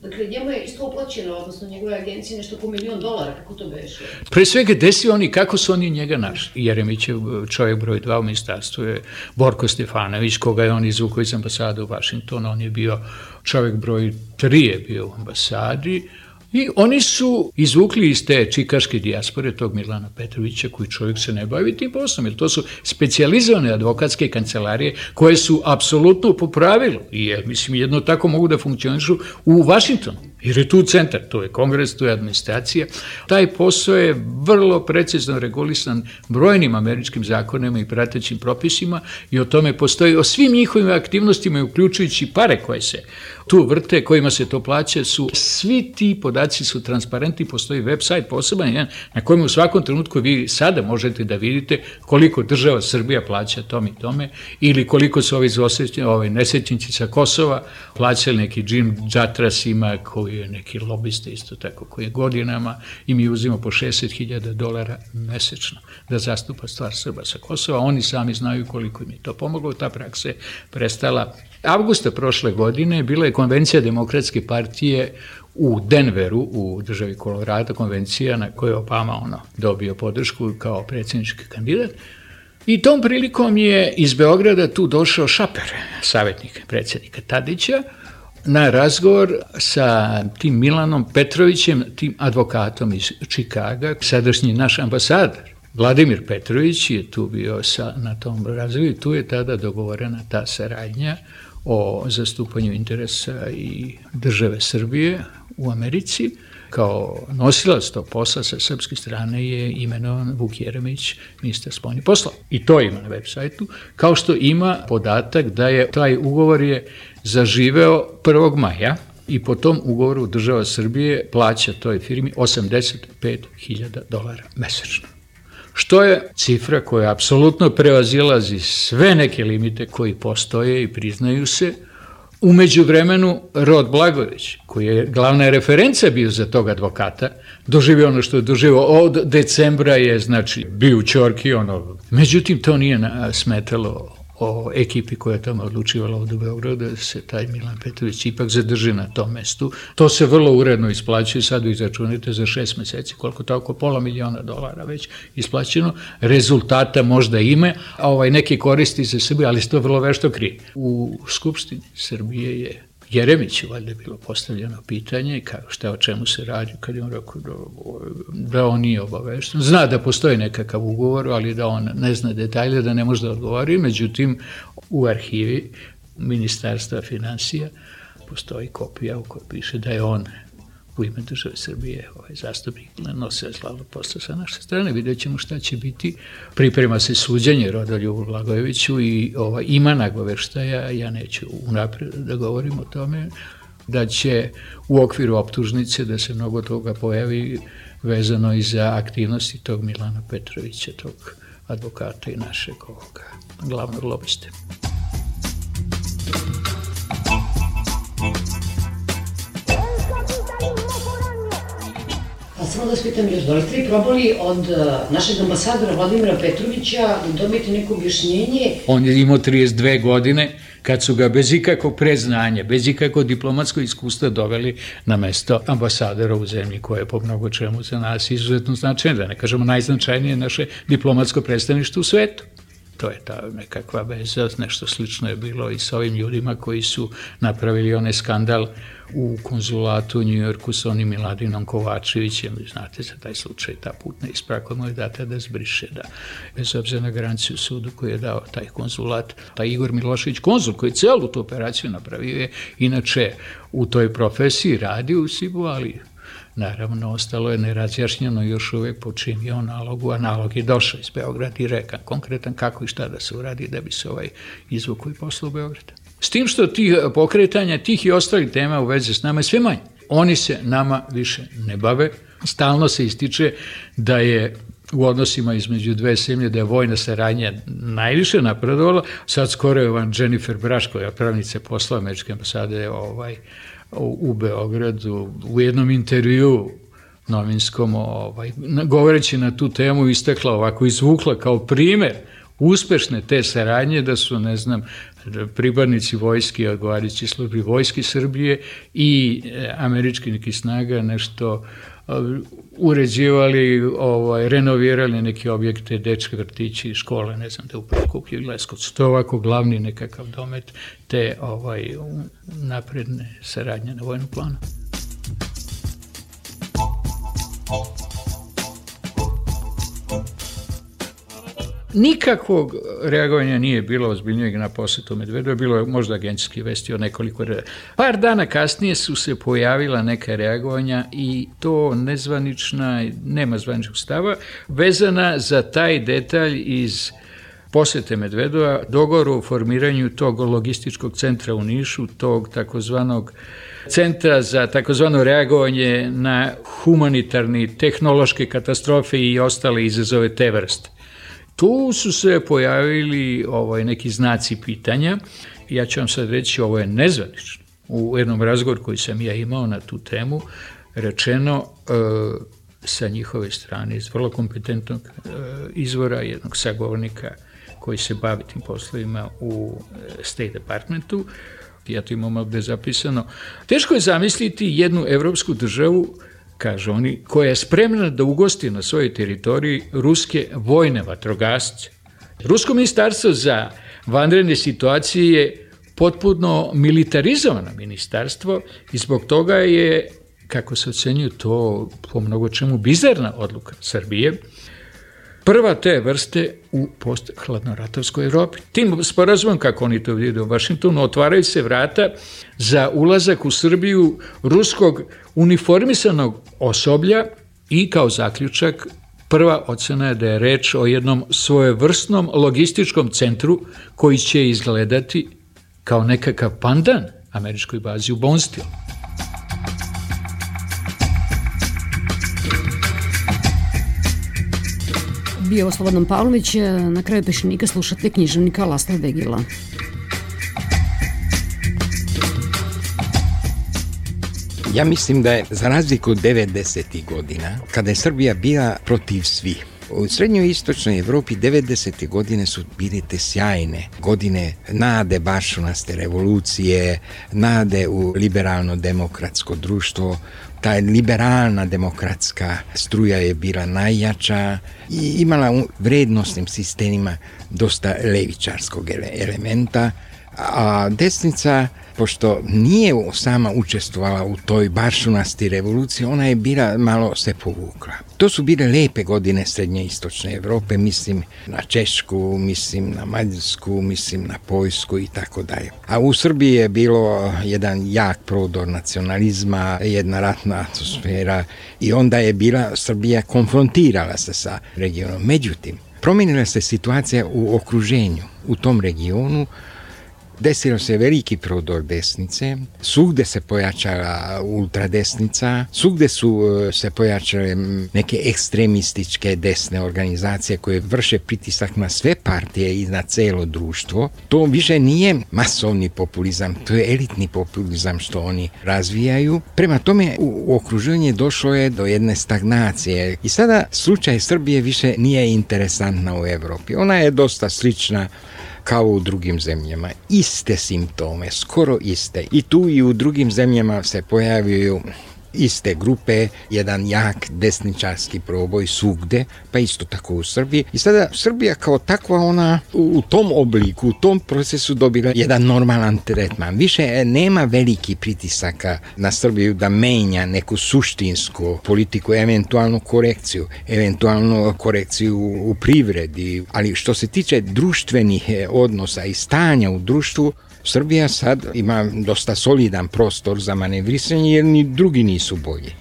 Dakle, njemu je isto uplaćeno, odnosno njegove agencije, nešto oko $1 milion, kako to beše? Pre svega, desi oni, kako su oni njega našli? Jeremićev čovjek broj 2 u ministarstvu je Borko Stefanović, koga je on izvukao iz ambasade u Vašingtonu, on je bio čovjek broj 3 je bio u ambasadi, i oni su izvukli iz te čikaške dijaspore tog Milana Petrovića, koji čovjek se ne bavi tim poslom, jer to su specijalizovane advokatske kancelarije koje su apsolutno po pravilu i mislim jedno tako mogu da funkcionišu u Vašingtonu, jer je tu centar, to je kongres, to je administracija. Taj posao je vrlo precizno regulisan brojnim američkim zakonima i pratećim propisima i o tome postoji, o svim njihovim aktivnostima, uključujući pare koje se tu vrte, kojima se to plaća, su svi ti podaci su transparentni, postoji website poseban na kojem u svakom trenutku vi sada možete da vidite koliko država Srbija plaća tom i tome ili koliko su ovi nesrećnici sa Kosova plaćali neki Jim Jatras ima koji je neki lobista isto tako koji je godinama i mi uzimo po $60.000 mesečno da zastupa stvar Srba sa Kosova, oni sami znaju koliko im je to pomoglo, ta praksa je prestala. Avgusta prošle godine bila je konvencija Demokratske partije u Denveru, u državi Kolorado, konvencija na kojoj je Obama dobio podršku kao predsjednički kandidat. I tom prilikom je iz Beograda tu došao Šaper, savjetnik predsjednika Tadića, na razgovor sa tim Milanom Petrovićem, tim advokatom iz Čikaga, sadašnji naš ambasador. Vladimir Petrović je tu bio na tom razgovoru i tu je tada dogovorena ta saradnja o zastupanju interesa i države Srbije u Americi. Kao nosilac tog posla sa srpske strane je imenovan Vuk Jeremić, ministar spoljnih poslova. I to ima na web sajtu, kao što ima podatak da je taj ugovor je zaživeo 1. maja i po tom ugovoru država Srbije plaća toj firmi $85.000 mesečno. Što je cifra koja apsolutno prevazilazi sve neke limite koji postoje i priznaju se, U međuvremenu Rod Blagojević, koji je glavna referenca bio za tog advokata, doživio ono što je doživio. Od decembra je, znači, bio u ćorki, Međutim, to nije smetalo o ekipi koja je tamo odlučivala od Beograda, da se taj Milan Petrović ipak zadrži na tom mestu. To se vrlo uredno isplaćuje, sad vi izračunite za 6 meseci, koliko tako, $500.000 već isplaćeno, rezultata možda ima, a neki koristi za Srbiju, ali se to vrlo vešto krije. U Skupštini Srbije je Jeremiću valjda je bilo postavljeno pitanje šta o čemu se radi, kad je on rekao da on nije obavešten. Zna da postoji nekakav ugovor, ali da on ne zna detalje, da ne može da odgovori. Međutim, u arhivi Ministarstva finansija postoji kopija u kojoj piše da je on u ime države Srbije zastupnik nosio slavnog posla sa naše strane. Vidjet ćemo šta će biti. Priprema se suđenje Rodoljubu Blagojeviću i ima nagoveštaja, ja neću unapred da govorim o tome, da će u okviru optužnice da se mnogo toga pojavi vezano i za aktivnosti tog Milana Petrovića, tog advokata i našeg glavnog lobiste. Samo da spitam još, da li ste probali od našeg ambasadora Vladimira Petrovića dobiti neko objašnjenje? On je imao 32 godine kad su ga bez ikakvog predznanja, bez ikakvog diplomatskog iskustva doveli na mesto ambasadora u zemlji koja je po mnogo čemu za nas izuzetno značajna, da ne kažemo najznačajnije naše diplomatsko predstavništvo u svetu. To je ta nekakva veza, nešto slično je bilo i sa ovim ljudima koji su napravili onaj skandal u konzulatu u Njujorku sa onim Miladinom Kovačevićem. Znate za taj slučaj, ta putna isprava koja mu je data da zbriše, da bez obzira na garanciju sudu koji je dao taj konzulat. Taj Igor Milošević, konzul koji celu tu operaciju napravio je, inače u toj profesiji radi u SIB-u, ali naravno, ostalo je nerazjašnjeno još uvek po čim je on nalogu, a nalog je došao iz Beograda i reka konkretan kako i šta da se uradi da bi se izvukao i poslao u Beograda. S tim što tih pokretanja, tih i ostalih tema u vezi s nama je sve manje. Oni se nama više ne bave. Stalno se ističe da je u odnosima između dve zemlje, da je vojna saradnja najviše napredovala. Sad skoro je Jennifer Braš, koja je pravnica posla američke ambasade u Beogradu, u jednom intervju novinskom, govoreći na tu temu, istakla ovako, izvukla kao primer uspešne te saradnje, da su, ne znam, pripadnici vojske, odgovarajući službi vojske Srbije i američki neki snaga nešto uređivali, renovirali neke objekte, dečke vrtići, škole, ne znam, da u Prokuplju i Leskovcu. To je ovako glavni nekakav domet te napredne saradnje na vojnom planu. Nikakvog reagovanja nije bilo ozbiljnijeg na posetu Medvedeva, bilo je možda agencijski vesti o nekoliko. Par dana kasnije su se pojavila neka reagovanja i to nezvanična, nema zvaničnog stava, vezana za taj detalj iz posete Medvedeva, dogovor o formiranju tog logističkog centra u Nišu, tog takozvanog centra za takozvano reagovanje na humanitarni, tehnološke katastrofe i ostale izazove te vrste. Tu su se pojavili neki znaci pitanja. Ja ću vam sad reći, ovo je nezvanično. U jednom razgovoru koji sam ja imao na tu temu, rečeno sa njihove strane iz vrlo kompetentnog izvora, jednog sagovornika koji se bavi tim poslovima u State Departmentu, ja to imam ovde zapisano, teško je zamisliti jednu evropsku državu, kažu oni, koja je spremna da ugosti na svojoj teritoriji ruske vojne vatrogasce. Rusko ministarstvo za vanredne situacije je potpuno militarizovano ministarstvo i zbog toga je, kako se ocenjuje, to po mnogo čemu bizarna odluka Srbije, prva te vrste u post-hladnoratovskoj Evropi. Tim sporazumom, kako oni to vide u Vašingtonu, otvaraju se vrata za ulazak u Srbiju ruskog uniformisanog osoblja i kao zaključak prva ocena je da je reč o jednom svojevrsnom logističkom centru koji će izgledati kao nekakav pandan američkoj bazi u Bonestilu. Bio Slobodan Pavlović, na kraju Pešenika slušate književnika Lasla Vegila. Ja mislim da je, za razliku od 90. godina, kada je Srbija bila protiv svih, u srednjoj i istočnoj Evropi 90. godine su bile te sjajne godine nade baršunaste revolucije, nade u liberalno-demokratsko društvo. Ta liberalna demokratska struja je bila najjača i imala u vrednostnim sistemima dosta levičarskog elementa, a desnica, pošto nije sama učestvovala u toj baršunasti revoluciji, ona je bila malo se povukla. To su bile lepe godine srednje i istočne Evrope, mislim na Češku, mislim na Mađarsku, mislim na Poljsku i tako dalje. A u Srbiji je bilo jedan jak prodor nacionalizma, jedna ratna atmosfera i onda je bila Srbija konfrontirala se sa regionom. Međutim, promijenila se situacija u okruženju, u tom regionu. Desilo se veliki prodor desnice, svugde se pojačala ultradesnica, svugde su se pojačale neke ekstremističke desne organizacije koje vrše pritisak na sve partije i na celo društvo. To više nije masovni populizam, to je elitni populizam što oni razvijaju. Prema tome u okruženju došlo je do jedne stagnacije i sada slučaj Srbije više nije interesantna u Evropi. Ona je dosta slična kao u drugim zemljama. Iste simptome, skoro iste. I tu i u drugim zemljama se pojavljaju iste grupe, jedan jak desničarski proboj svugde, pa isto tako u Srbiji. I sada Srbija kao takva, ona u tom obliku, u tom procesu dobila jedan normalan tretman. Više nema veliki pritisaka na Srbiju da menja neku suštinsku politiku, eventualnu korekciju u privredi. Ali što se tiče društvenih odnosa i stanja u društvu, Srbija sad ima dosta solidan prostor za manevrisanje jer ni drugi nisu bolji.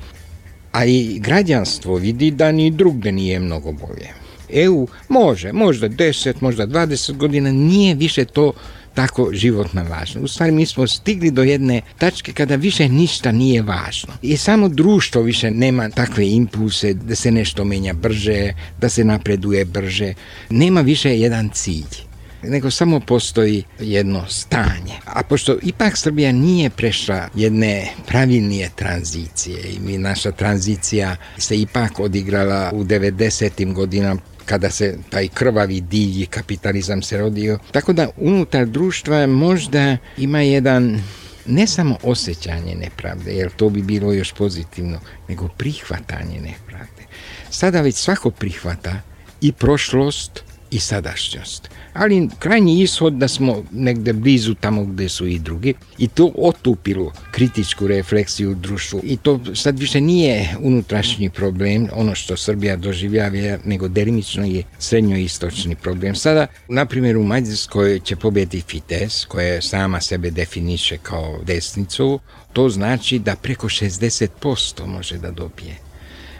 A i građanstvo vidi da ni drugde nije mnogo bolje. EU može, možda 10, možda 20 godina, nije više to tako životno važno. U stvari mi smo stigli do jedne tačke kada više ništa nije važno. I samo društvo više nema takve impulse da se nešto menja brže, da se napreduje brže. Nema više jedan cilj, nego samo postoji jedno stanje. A pošto ipak Srbija nije prešla jedne pravilnije tranzicije i naša tranzicija se ipak odigrala u 90. godinama kada se taj krvavi divlji kapitalizam se rodio. Tako da unutar društva možda ima jedan ne samo osjećanje nepravde, jer to bi bilo još pozitivno, nego prihvatanje nepravde. Sada već svako prihvata i prošlost i sadašnjost. Ali krajnji ishod da smo negde blizu tamo gde su i drugi i to otupilo kritičku refleksiju u društvu i to sad više nije unutrašnji problem, ono što Srbija doživljava, nego delimično je srednjoistočni problem. Sada, na primjer, u Mađarskoj će pobediti Fidesz, koja sama sebe definiše kao desnicu, to znači da preko 60% može da dobije.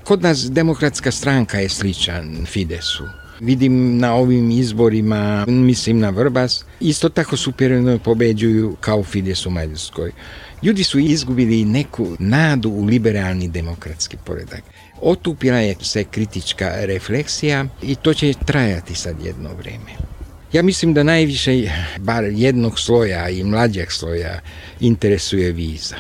Kod nas Demokratska stranka je sličan Fidesu. Vidim na ovim izborima, mislim na Vrbas, isto tako superiorno pobeđuju kao Fides u Mađarskoj. Ljudi su izgubili neku nadu u liberalni demokratski poredak. Otupila je se kritička refleksija i to će trajati sad jedno vreme. Ja mislim da najviše, bar jednog sloja i mlađeg sloja, interesuje viza.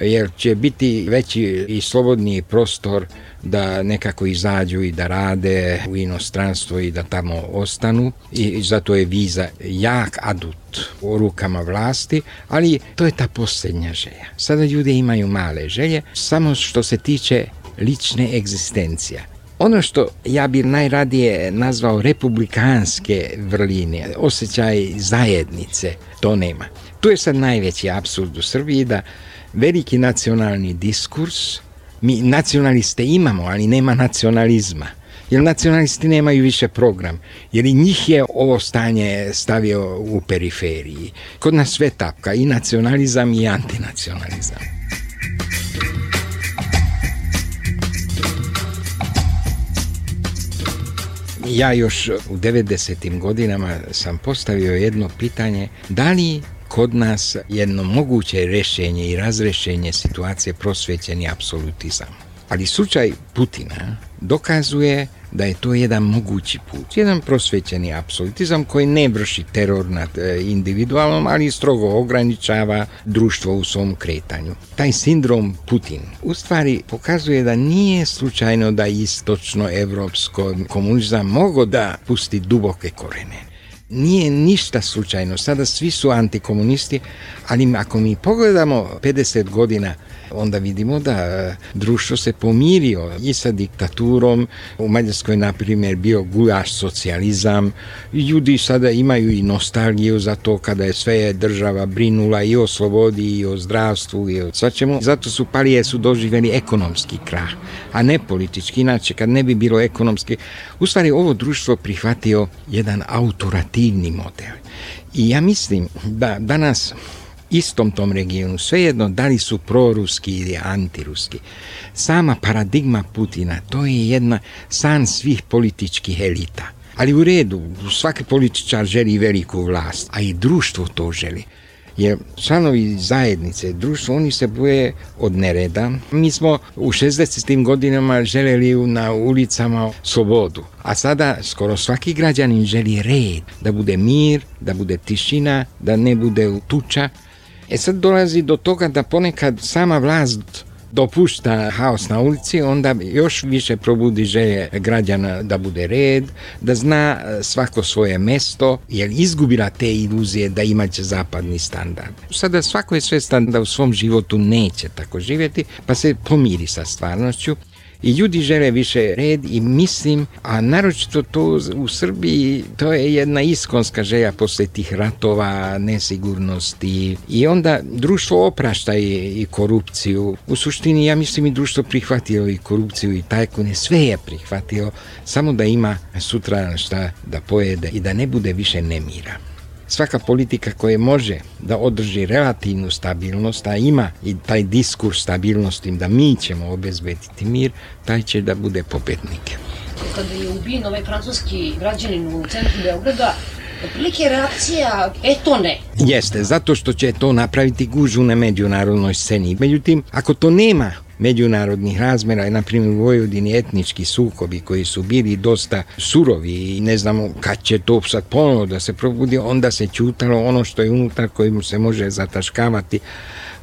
Jer će biti veći i slobodniji prostor da nekako izađu i da rade u inostranstvo i da tamo ostanu i zato je viza jak adut u rukama vlasti, ali to je ta posljednja želja. Sada ljudi imaju male želje, samo što se tiče lične egzistencije. Ono što ja bih najradije nazvao republikanske vrline, osjećaj zajednice, to nema. Tu je sad najveći apsurd u Srbiji da veliki nacionalni diskurs, mi nacionaliste imamo, ali nema nacionalizma. Jer nacionalisti nemaju više program, jer i njih je ovo stanje stavio u periferiji. Kod nas sve tapka, i nacionalizam i antinacionalizam. Ja još u 90. godinama sam postavio jedno pitanje, da li kod nas jedno moguće rešenje i razrešenje situacije prosvećeni apsolutizam. Ali slučaj Putina dokazuje da je to jedan mogući put, jedan prosvećeni apsolutizam koji ne vrši teror nad individualnom, ali strogo ograničava društvo u svom kretanju. Taj sindrom Putin u stvari pokazuje da nije slučajno da istočno evropsko komunizam mogao da pusti duboke korene. Nije ništa slučajno, sada svi su antikomunisti, ali ako mi pogledamo 50 godina, onda vidimo da društvo se pomirio i sa diktaturom. U Mađarskoj, na primjer, bio gulaš socijalizam. Ljudi sada imaju i nostalgiju za to kada je sve država brinula i o slobodi i o zdravstvu i o svačemu. Zato su parije doživjeli ekonomski krah, a ne politički. Inače, kad ne bi bilo ekonomski, u stvari ovo društvo prihvatio jedan autoritativni model. I ja mislim da danas istom tom regionu, svejedno da li su proruski ili antiruski, sama paradigma Putina, to je jedna san svih političkih elita. Ali u redu, svaki političar želi veliku vlast, a i društvo to želi. Jer članovi zajednice, društvo, oni se boje od nereda. Mi smo u 60. godinama željeli na ulicama slobodu, a sada skoro svaki građanin želi red, da bude mir, da bude tišina, da ne bude tuča. Sad dolazi do toga da ponekad sama vlast dopušta haos na ulici, onda još više probudi želje građana da bude red, da zna svako svoje mesto, jer izgubila te iluzije da imaće zapadni standard. Sada svako je svestan da u svom životu neće tako živjeti, pa se pomiri sa stvarnošću. I ljudi žele više red i mislim, a naročito to u Srbiji, to je jedna iskonska želja posle tih ratova, nesigurnosti i onda društvo oprašta i korupciju. U suštini ja mislim i društvo prihvatilo i korupciju i tajkune, sve je prihvatilo, samo da ima sutra šta da pojede i da ne bude više nemira. Svaka politika koja može da održi relativnu stabilnost, a ima i taj diskurs stabilnosti da mi ćemo obezbediti mir, taj će da bude pobednik. Kada je ubijen ovaj francuski građanin u centru Beograda, otprilike reakcija, to ne. Jeste, zato što će to napraviti gužvu na međunarodnoj sceni. Međutim, ako to nema međunarodnih razmera, na primjer u Vojvodini etnički sukobi koji su bili dosta surovi i ne znamo kad će to sad ponovo da se probudi, onda se ćutalo ono što je unutar kojim se može zataškavati,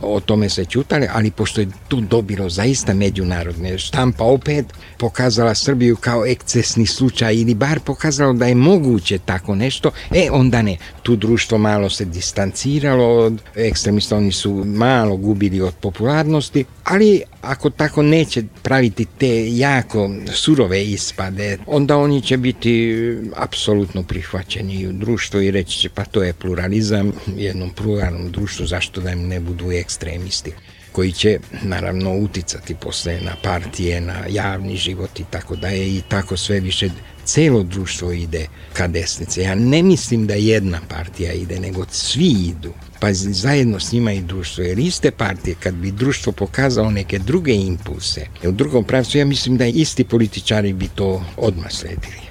o tome se ćutali, ali pošto je tu dobilo zaista međunarodne, štampa opet pokazala Srbiju kao ekscesni slučaj ili bar pokazalo da je moguće tako nešto, onda ne. Tu društvo malo se distanciralo od ekstremista, oni su malo gubili od popularnosti, ali ako tako neće praviti te jako surove ispade, onda oni će biti apsolutno prihvaćeni u društvu i reći će pa to je pluralizam, jednom pluralnom društvu, zašto da im ne budu ekstremisti koji će naravno uticati posle na partije, na javni život i tako da je i tako sve više celo društvo ide ka desnici. Ja ne mislim da jedna partija ide, nego svi idu. Pa zajedno s njima i društvo. Jer iste partije, kad bi društvo pokazalo neke druge impulse, u drugom pravcu, ja mislim da isti političari bi to odmah sledili.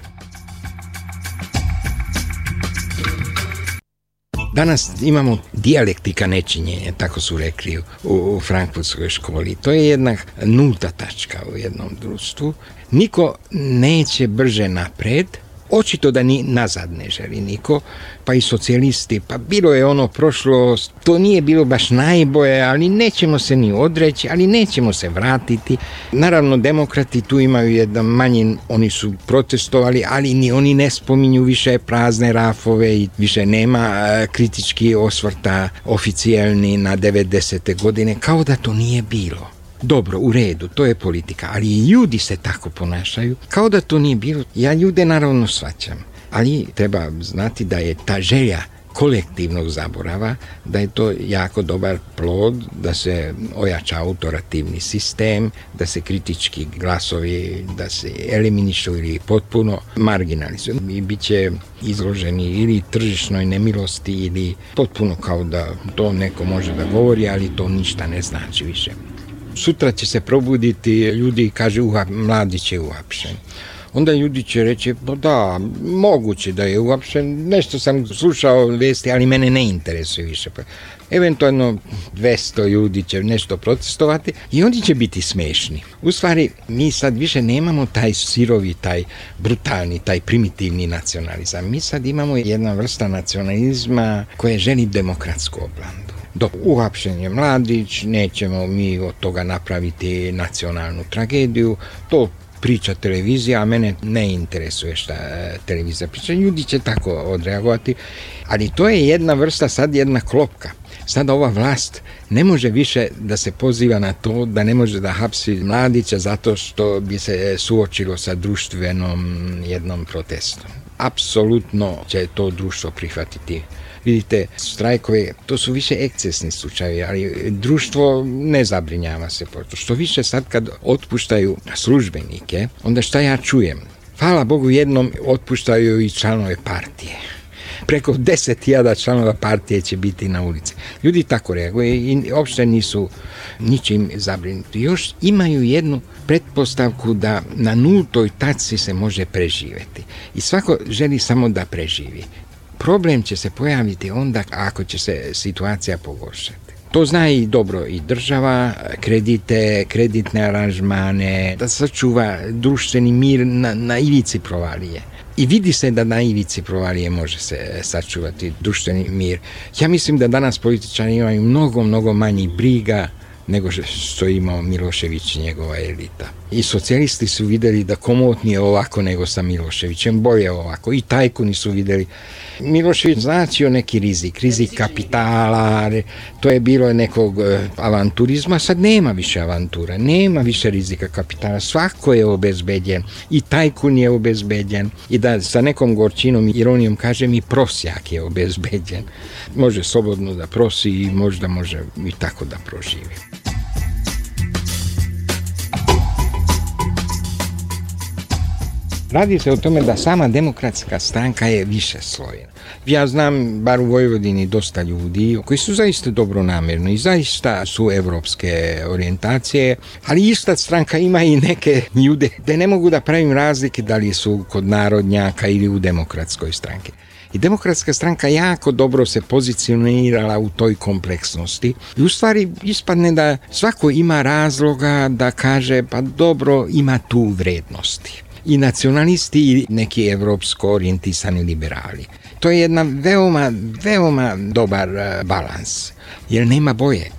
Danas imamo dijalektika nečinjenja, tako su rekli u Frankfurtskoj školi. To je jedna nulta tačka u jednom društvu. Niko neće brže napred, očito da ni nazad ne želi niko, pa i socijalisti, pa bilo je ono prošlost, to nije bilo baš najbolje, ali nećemo se ni odreći, ali nećemo se vratiti. Naravno, demokrati tu imaju jedan manjin, oni su protestovali, ali ni oni ne spominju više prazne rafove i više nema kritički osvrta oficijalni na 90. godine, kao da to nije bilo. Dobro, u redu, to je politika, ali i ljudi se tako ponašaju, kao da to nije bilo. Ja ljude naravno shvaćam, ali treba znati da je ta želja kolektivnog zaborava, da je to jako dobar plod, da se ojača autoritativni sistem, da se kritički glasovi, da se eliminišu ili potpuno marginalizuju. I bit će izloženi ili tržišnoj nemilosti ili potpuno kao da to neko može da govori, ali to ništa ne znači više. Sutra će se probuditi ljudi i kaže Mladić je uhapšen. onda ljudi će reći, pa da, moguće da je uopšte, nešto sam slušao vesti, ali mene ne interesuje više. Eventualno 200 ljudi će nešto protestovati i oni će biti smešni. U stvari, mi sad više nemamo taj sirovi, taj brutalni, taj primitivni nacionalizam. Mi sad imamo jedna vrsta nacionalizma koja želi demokratsku oblandu. Dok uhapšen je Mladić, nećemo mi od toga napraviti nacionalnu tragediju, to priča televizija, a mene ne interesuje šta televizija priča. Ljudi će tako odreagovati, ali to je jedna vrsta, sad jedna klopka. Sada ova vlast ne može više da se poziva na to da ne može da hapsi Mladića zato što bi se suočilo sa društvenom jednom protestom. Apsolutno će to društvo prihvatiti. Vidite, strajkove, to su više ekscesni slučajevi, ali društvo ne zabrinjava se. Što više sad kad otpuštaju službenike, onda šta ja čujem? Hvala Bogu, jednom otpuštaju i članove partije. Preko 10.000 članova partije će biti na ulici. Ljudi tako reaguju i uopšte nisu ničim zabrinuti. Još imaju jednu pretpostavku da na nultoj tačci se može preživjeti. I svako želi samo da preživi. Problem će se pojaviti onda ako će se situacija pogoršati. To zna i dobro i država, kredite, kreditne aranžmane, da sačuva društveni mir na ivici provalije. I vidi se da na ivici provalije može se sačuvati društveni mir. Ja mislim da danas političari imaju mnogo manji briga nego što je imao Milošević i njegova elita. I socijalisti su vidjeli da komotnije ovako nego sa Miloševićem, bolje ovako. I tajkuni su vidjeli. Milošević značio neki rizik kapitala, to je bilo nekog avanturizma, sad nema više avantura, nema više rizika kapitala, svako je obezbeđen i tajkun je obezbeđen i da sa nekom gorčinom i ironijom kažem i prosjak je obezbeđen. Može slobodno da prosi i možda može i tako da proživi. Radi se o tome da sama demokratska stranka je više slojena. Ja znam, bar u Vojvodini, dosta ljudi koji su zaista dobronamerni i zaista su evropske orijentacije, ali ista stranka ima i neke ljude da ne mogu da pravim razlike da li su kod narodnjaka ili u demokratskoj stranki. I demokratska stranka jako dobro se pozicionirala u toj kompleksnosti i u stvari ispadne da svako ima razloga da kaže pa dobro, ima tu vrednosti. I nacionalisti i neki evropsko orijentisani liberali. To je jedna veoma dobar balans, jer nema boljeg.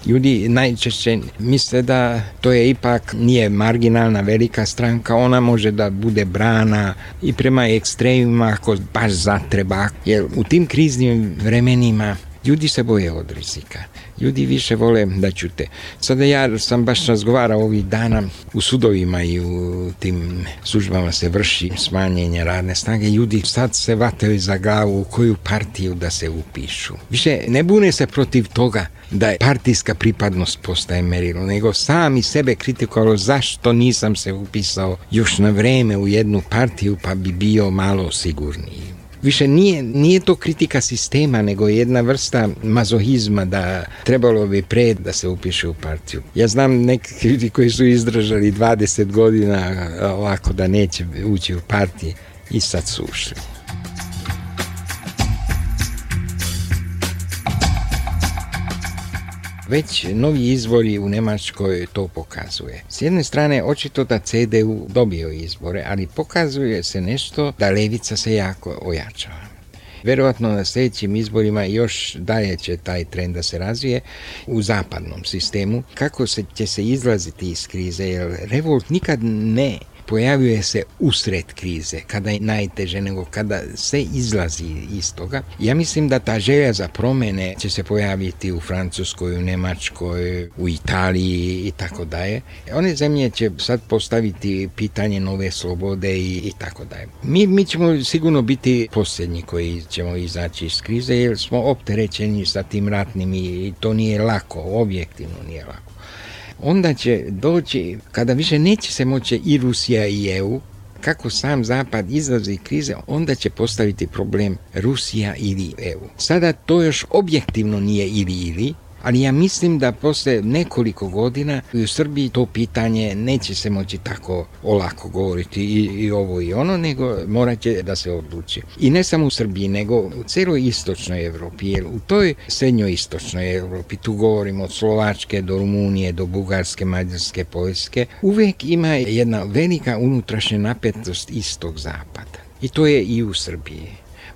Ljudi najčešće misle da to je ipak nije marginalna velika stranka, ona može da bude brana i prema ekstremima ako baš zatreba, jer u tim kriznim vremenima ljudi se boje od rizika. Ljudi više vole da ćute. Sada ja sam baš razgovarao ovih dana u sudovima i u tim službama se vrši smanjenje radne snage. Ljudi sad se vataju za glavu u koju partiju da se upišu. Više ne bune se protiv toga da je partijska pripadnost postaje merilo, nego sami sebe kritikovalo zašto nisam se upisao još na vreme u jednu partiju pa bi bio malo sigurniji. Više nije to kritika sistema, nego jedna vrsta mazohizma da trebalo bi pre da se upiše u partiju. Ja znam neki ljudi koji su izdržali 20 godina ovako da neće ući u partiji i sad su ušli. Već novi izbori u Nemačkoj to pokazuje. S jedne strane, očito da CDU dobio izbore, ali pokazuje se nešto da levica se jako ojačava. Verovatno na sljedećim izborima još dalje će taj trend da se razvije u zapadnom sistemu. Kako će se izlaziti iz krize, jer revolt nikad ne pojavljuje se usred krize, kada je najteže, nego kada se izlazi iz toga. Ja mislim da ta želja za promjene će se pojaviti u Francuskoj, u Nemačkoj, u Italiji i tako dalje. One zemlje će sad postaviti pitanje nove slobode i tako dalje. Mi ćemo sigurno biti posljednji koji ćemo izaći iz krize, jer smo opterećeni sa tim ratnim i to nije lako, objektivno nije lako. Onda će doći, kada više neće se moći i Rusija i EU, kako sam Zapad izlazi iz krize, onda će postaviti problem Rusija ili EU. Sada to još objektivno nije ili, Ali ja mislim da posle nekoliko godina u Srbiji to pitanje neće se moći tako olako govoriti i ovo i ono, nego morat će da se odluči. I ne samo u Srbiji, nego u celoj istočnoj Evropi, jer u toj srednjoj istočnoj Evropi, tu govorimo od Slovačke do Rumunije, do Bugarske, Mađarske, Poljske, uvek ima jedna velika unutrašnja napetost istog-zapada. I to je i u Srbiji.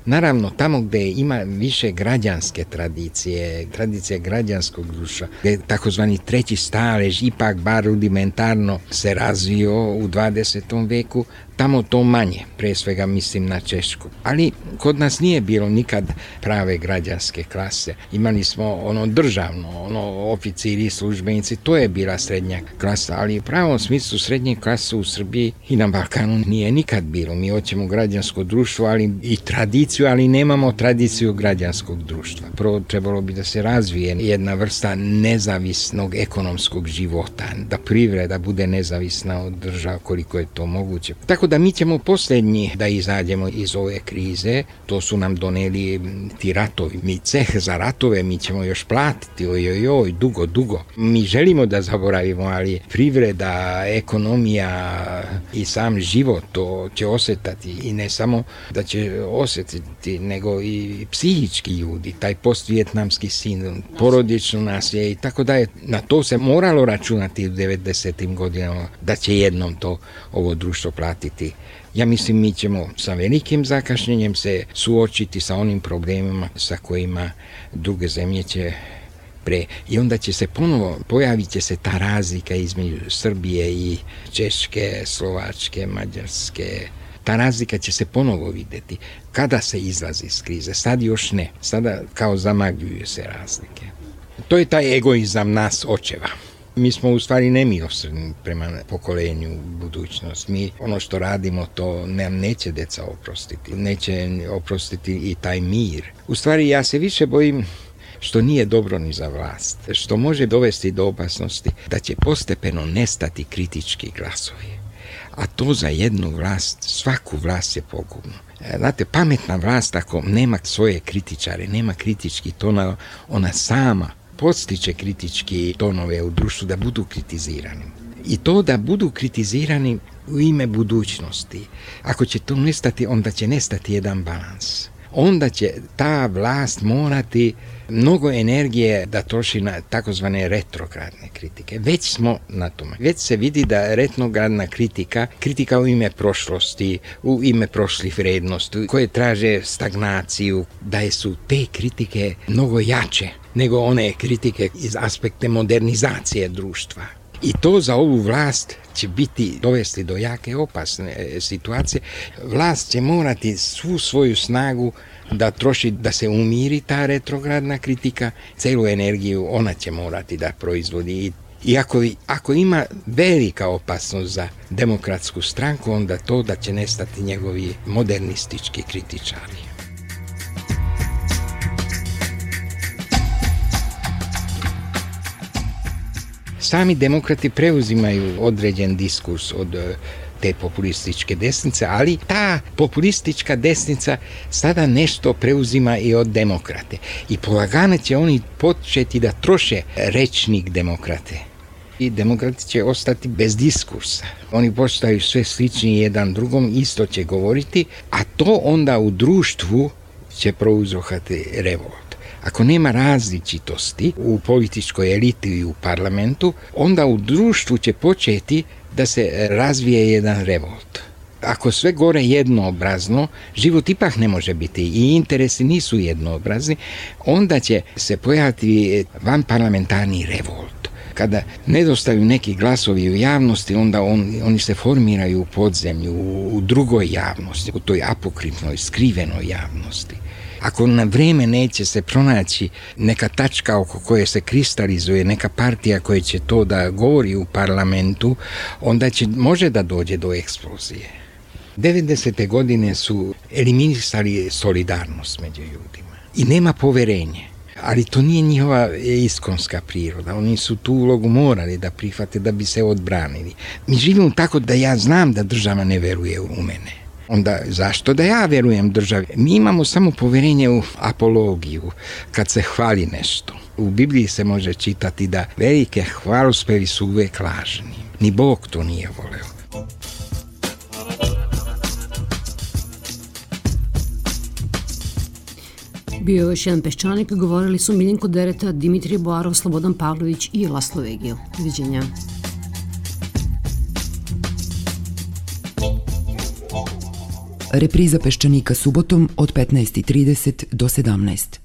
Naravno, tamo gde ima više građanske tradicije, tradicija građanskog društva, gde takozvani treći stalež ipak bar rudimentarno se razvio u 20. veku, tamo to manje, pre svega mislim na Češku. Ali kod nas nije bilo nikad prave građanske klase. Imali smo ono državno, oficiri, službenici, to je bila srednja klasa, ali u pravom smislu srednje klase u Srbiji i na Balkanu nije nikad bilo. Mi hoćemo građansko društvo, ali i tradiciju, ali nemamo tradiciju građanskog društva. Prvo trebalo bi da se razvije jedna vrsta nezavisnog ekonomskog života, da privreda bude nezavisna od država koliko je to moguće. Tako da mi ćemo posljednji da izađemo iz ove krize, to su nam doneli ti ratovi. Mi ceh za ratove mi ćemo još platiti, dugo. Mi želimo da zaboravimo, ali privreda, ekonomija i sam život to će osjetati i ne samo da će osjetiti, nego i psihički ljudi, taj postvjetnamski sindrom, porodično nasilje i tako da je, na to se moralo računati u 90. godinama da će jednom to ovo društvo platiti. Ja mislim mi ćemo sa velikim zakašnjenjem se suočiti sa onim problemima sa kojima druge zemlje će pre. I onda će se ponovo, pojavit će se ta razlika između Srbije i Češke, Slovačke, Mađarske. Ta razlika će se ponovo videti. Kada se izlazi iz krize? Sad još ne. Sada kao zamagljuju se razlike. To je taj egoizam nas očeva. Mi smo u stvari nemilosrdni prema pokolenju budućnost. Mi ono što radimo to nam neće deca oprostiti. Neće oprostiti i taj mir. U stvari ja se više bojim što nije dobro ni za vlast. Što može dovesti do opasnosti da će postepeno nestati kritički glasovi. A to za jednu vlast, svaku vlast je pogubno. Znate, pametna vlast ako nema svoje kritičare, nema kritički tonova, ona sama podstiče kritički tonove u društvu da budu kritizirani. I to da budu kritizirani u ime budućnosti. Ako će to nestati, onda će nestati jedan balans. Onda će ta vlast morati mnogo energije da troši na takozvane retrogradne kritike. Već smo na tome. Već se vidi da retrogradna kritika u ime prošlosti, u ime prošlih vrednosti, koje traže stagnaciju, da su te kritike mnogo jače nego one kritike iz aspekte modernizacije društva. I to za ovu vlast će dovesti do jake opasne situacije. Vlast će morati svu svoju snagu da troši, da se umiri ta retrogradna kritika, celu energiju ona će morati da proizvodi. I ako ima velika opasnost za demokratsku stranku, onda to da će nestati njegovi modernistički kritičari. Sami demokrati preuzimaju određen diskurs od te populističke desnice, ali ta populistička desnica sada nešto preuzima i od demokrate. I polagano će oni početi da troše rečnik demokrate. I demokrati će ostati bez diskursa. Oni postaju sve slični jedan drugom, isto će govoriti, a to onda u društvu će prouzročiti revolt. Ako nema različitosti u političkoj eliti i u parlamentu, onda u društvu će početi da se razvije jedan revolt. Ako sve gore jednoobrazno, život ipak ne može biti i interesi nisu jednoobrazni, onda će se pojaviti vanparlamentarni revolt. Kada nedostaju neki glasovi u javnosti, onda oni se formiraju u podzemlju, u drugoj javnosti, u toj apokrifnoj, skrivenoj javnosti. Ako na vreme neće se pronaći neka tačka oko koje se kristalizuje, neka partija koja će to da govori u parlamentu, onda može da dođe do eksplozije. 90. godine su eliminisali solidarnost među ljudima i nema poverenje. Ali to nije njihova iskonska priroda. Oni su tu ulogu morali da prihvate da bi se odbranili. Mi živimo tako da ja znam da država ne veruje u mene. onda zašto da ja verujem državi? Mi imamo samo poverenje u apologiju, kad se hvali nešto. U Bibliji se može čitati da velike hvalospevi su uvek lažni. Ni Bog to nije voleo. Bio je još jedan Peščanik, govorili su Miljenko Dereta, Dimitrije Boarov, Slobodan Pavlović i Laslo Vegio. Doviđenja. Repriza Peščanika subotom od 15:30 do 17.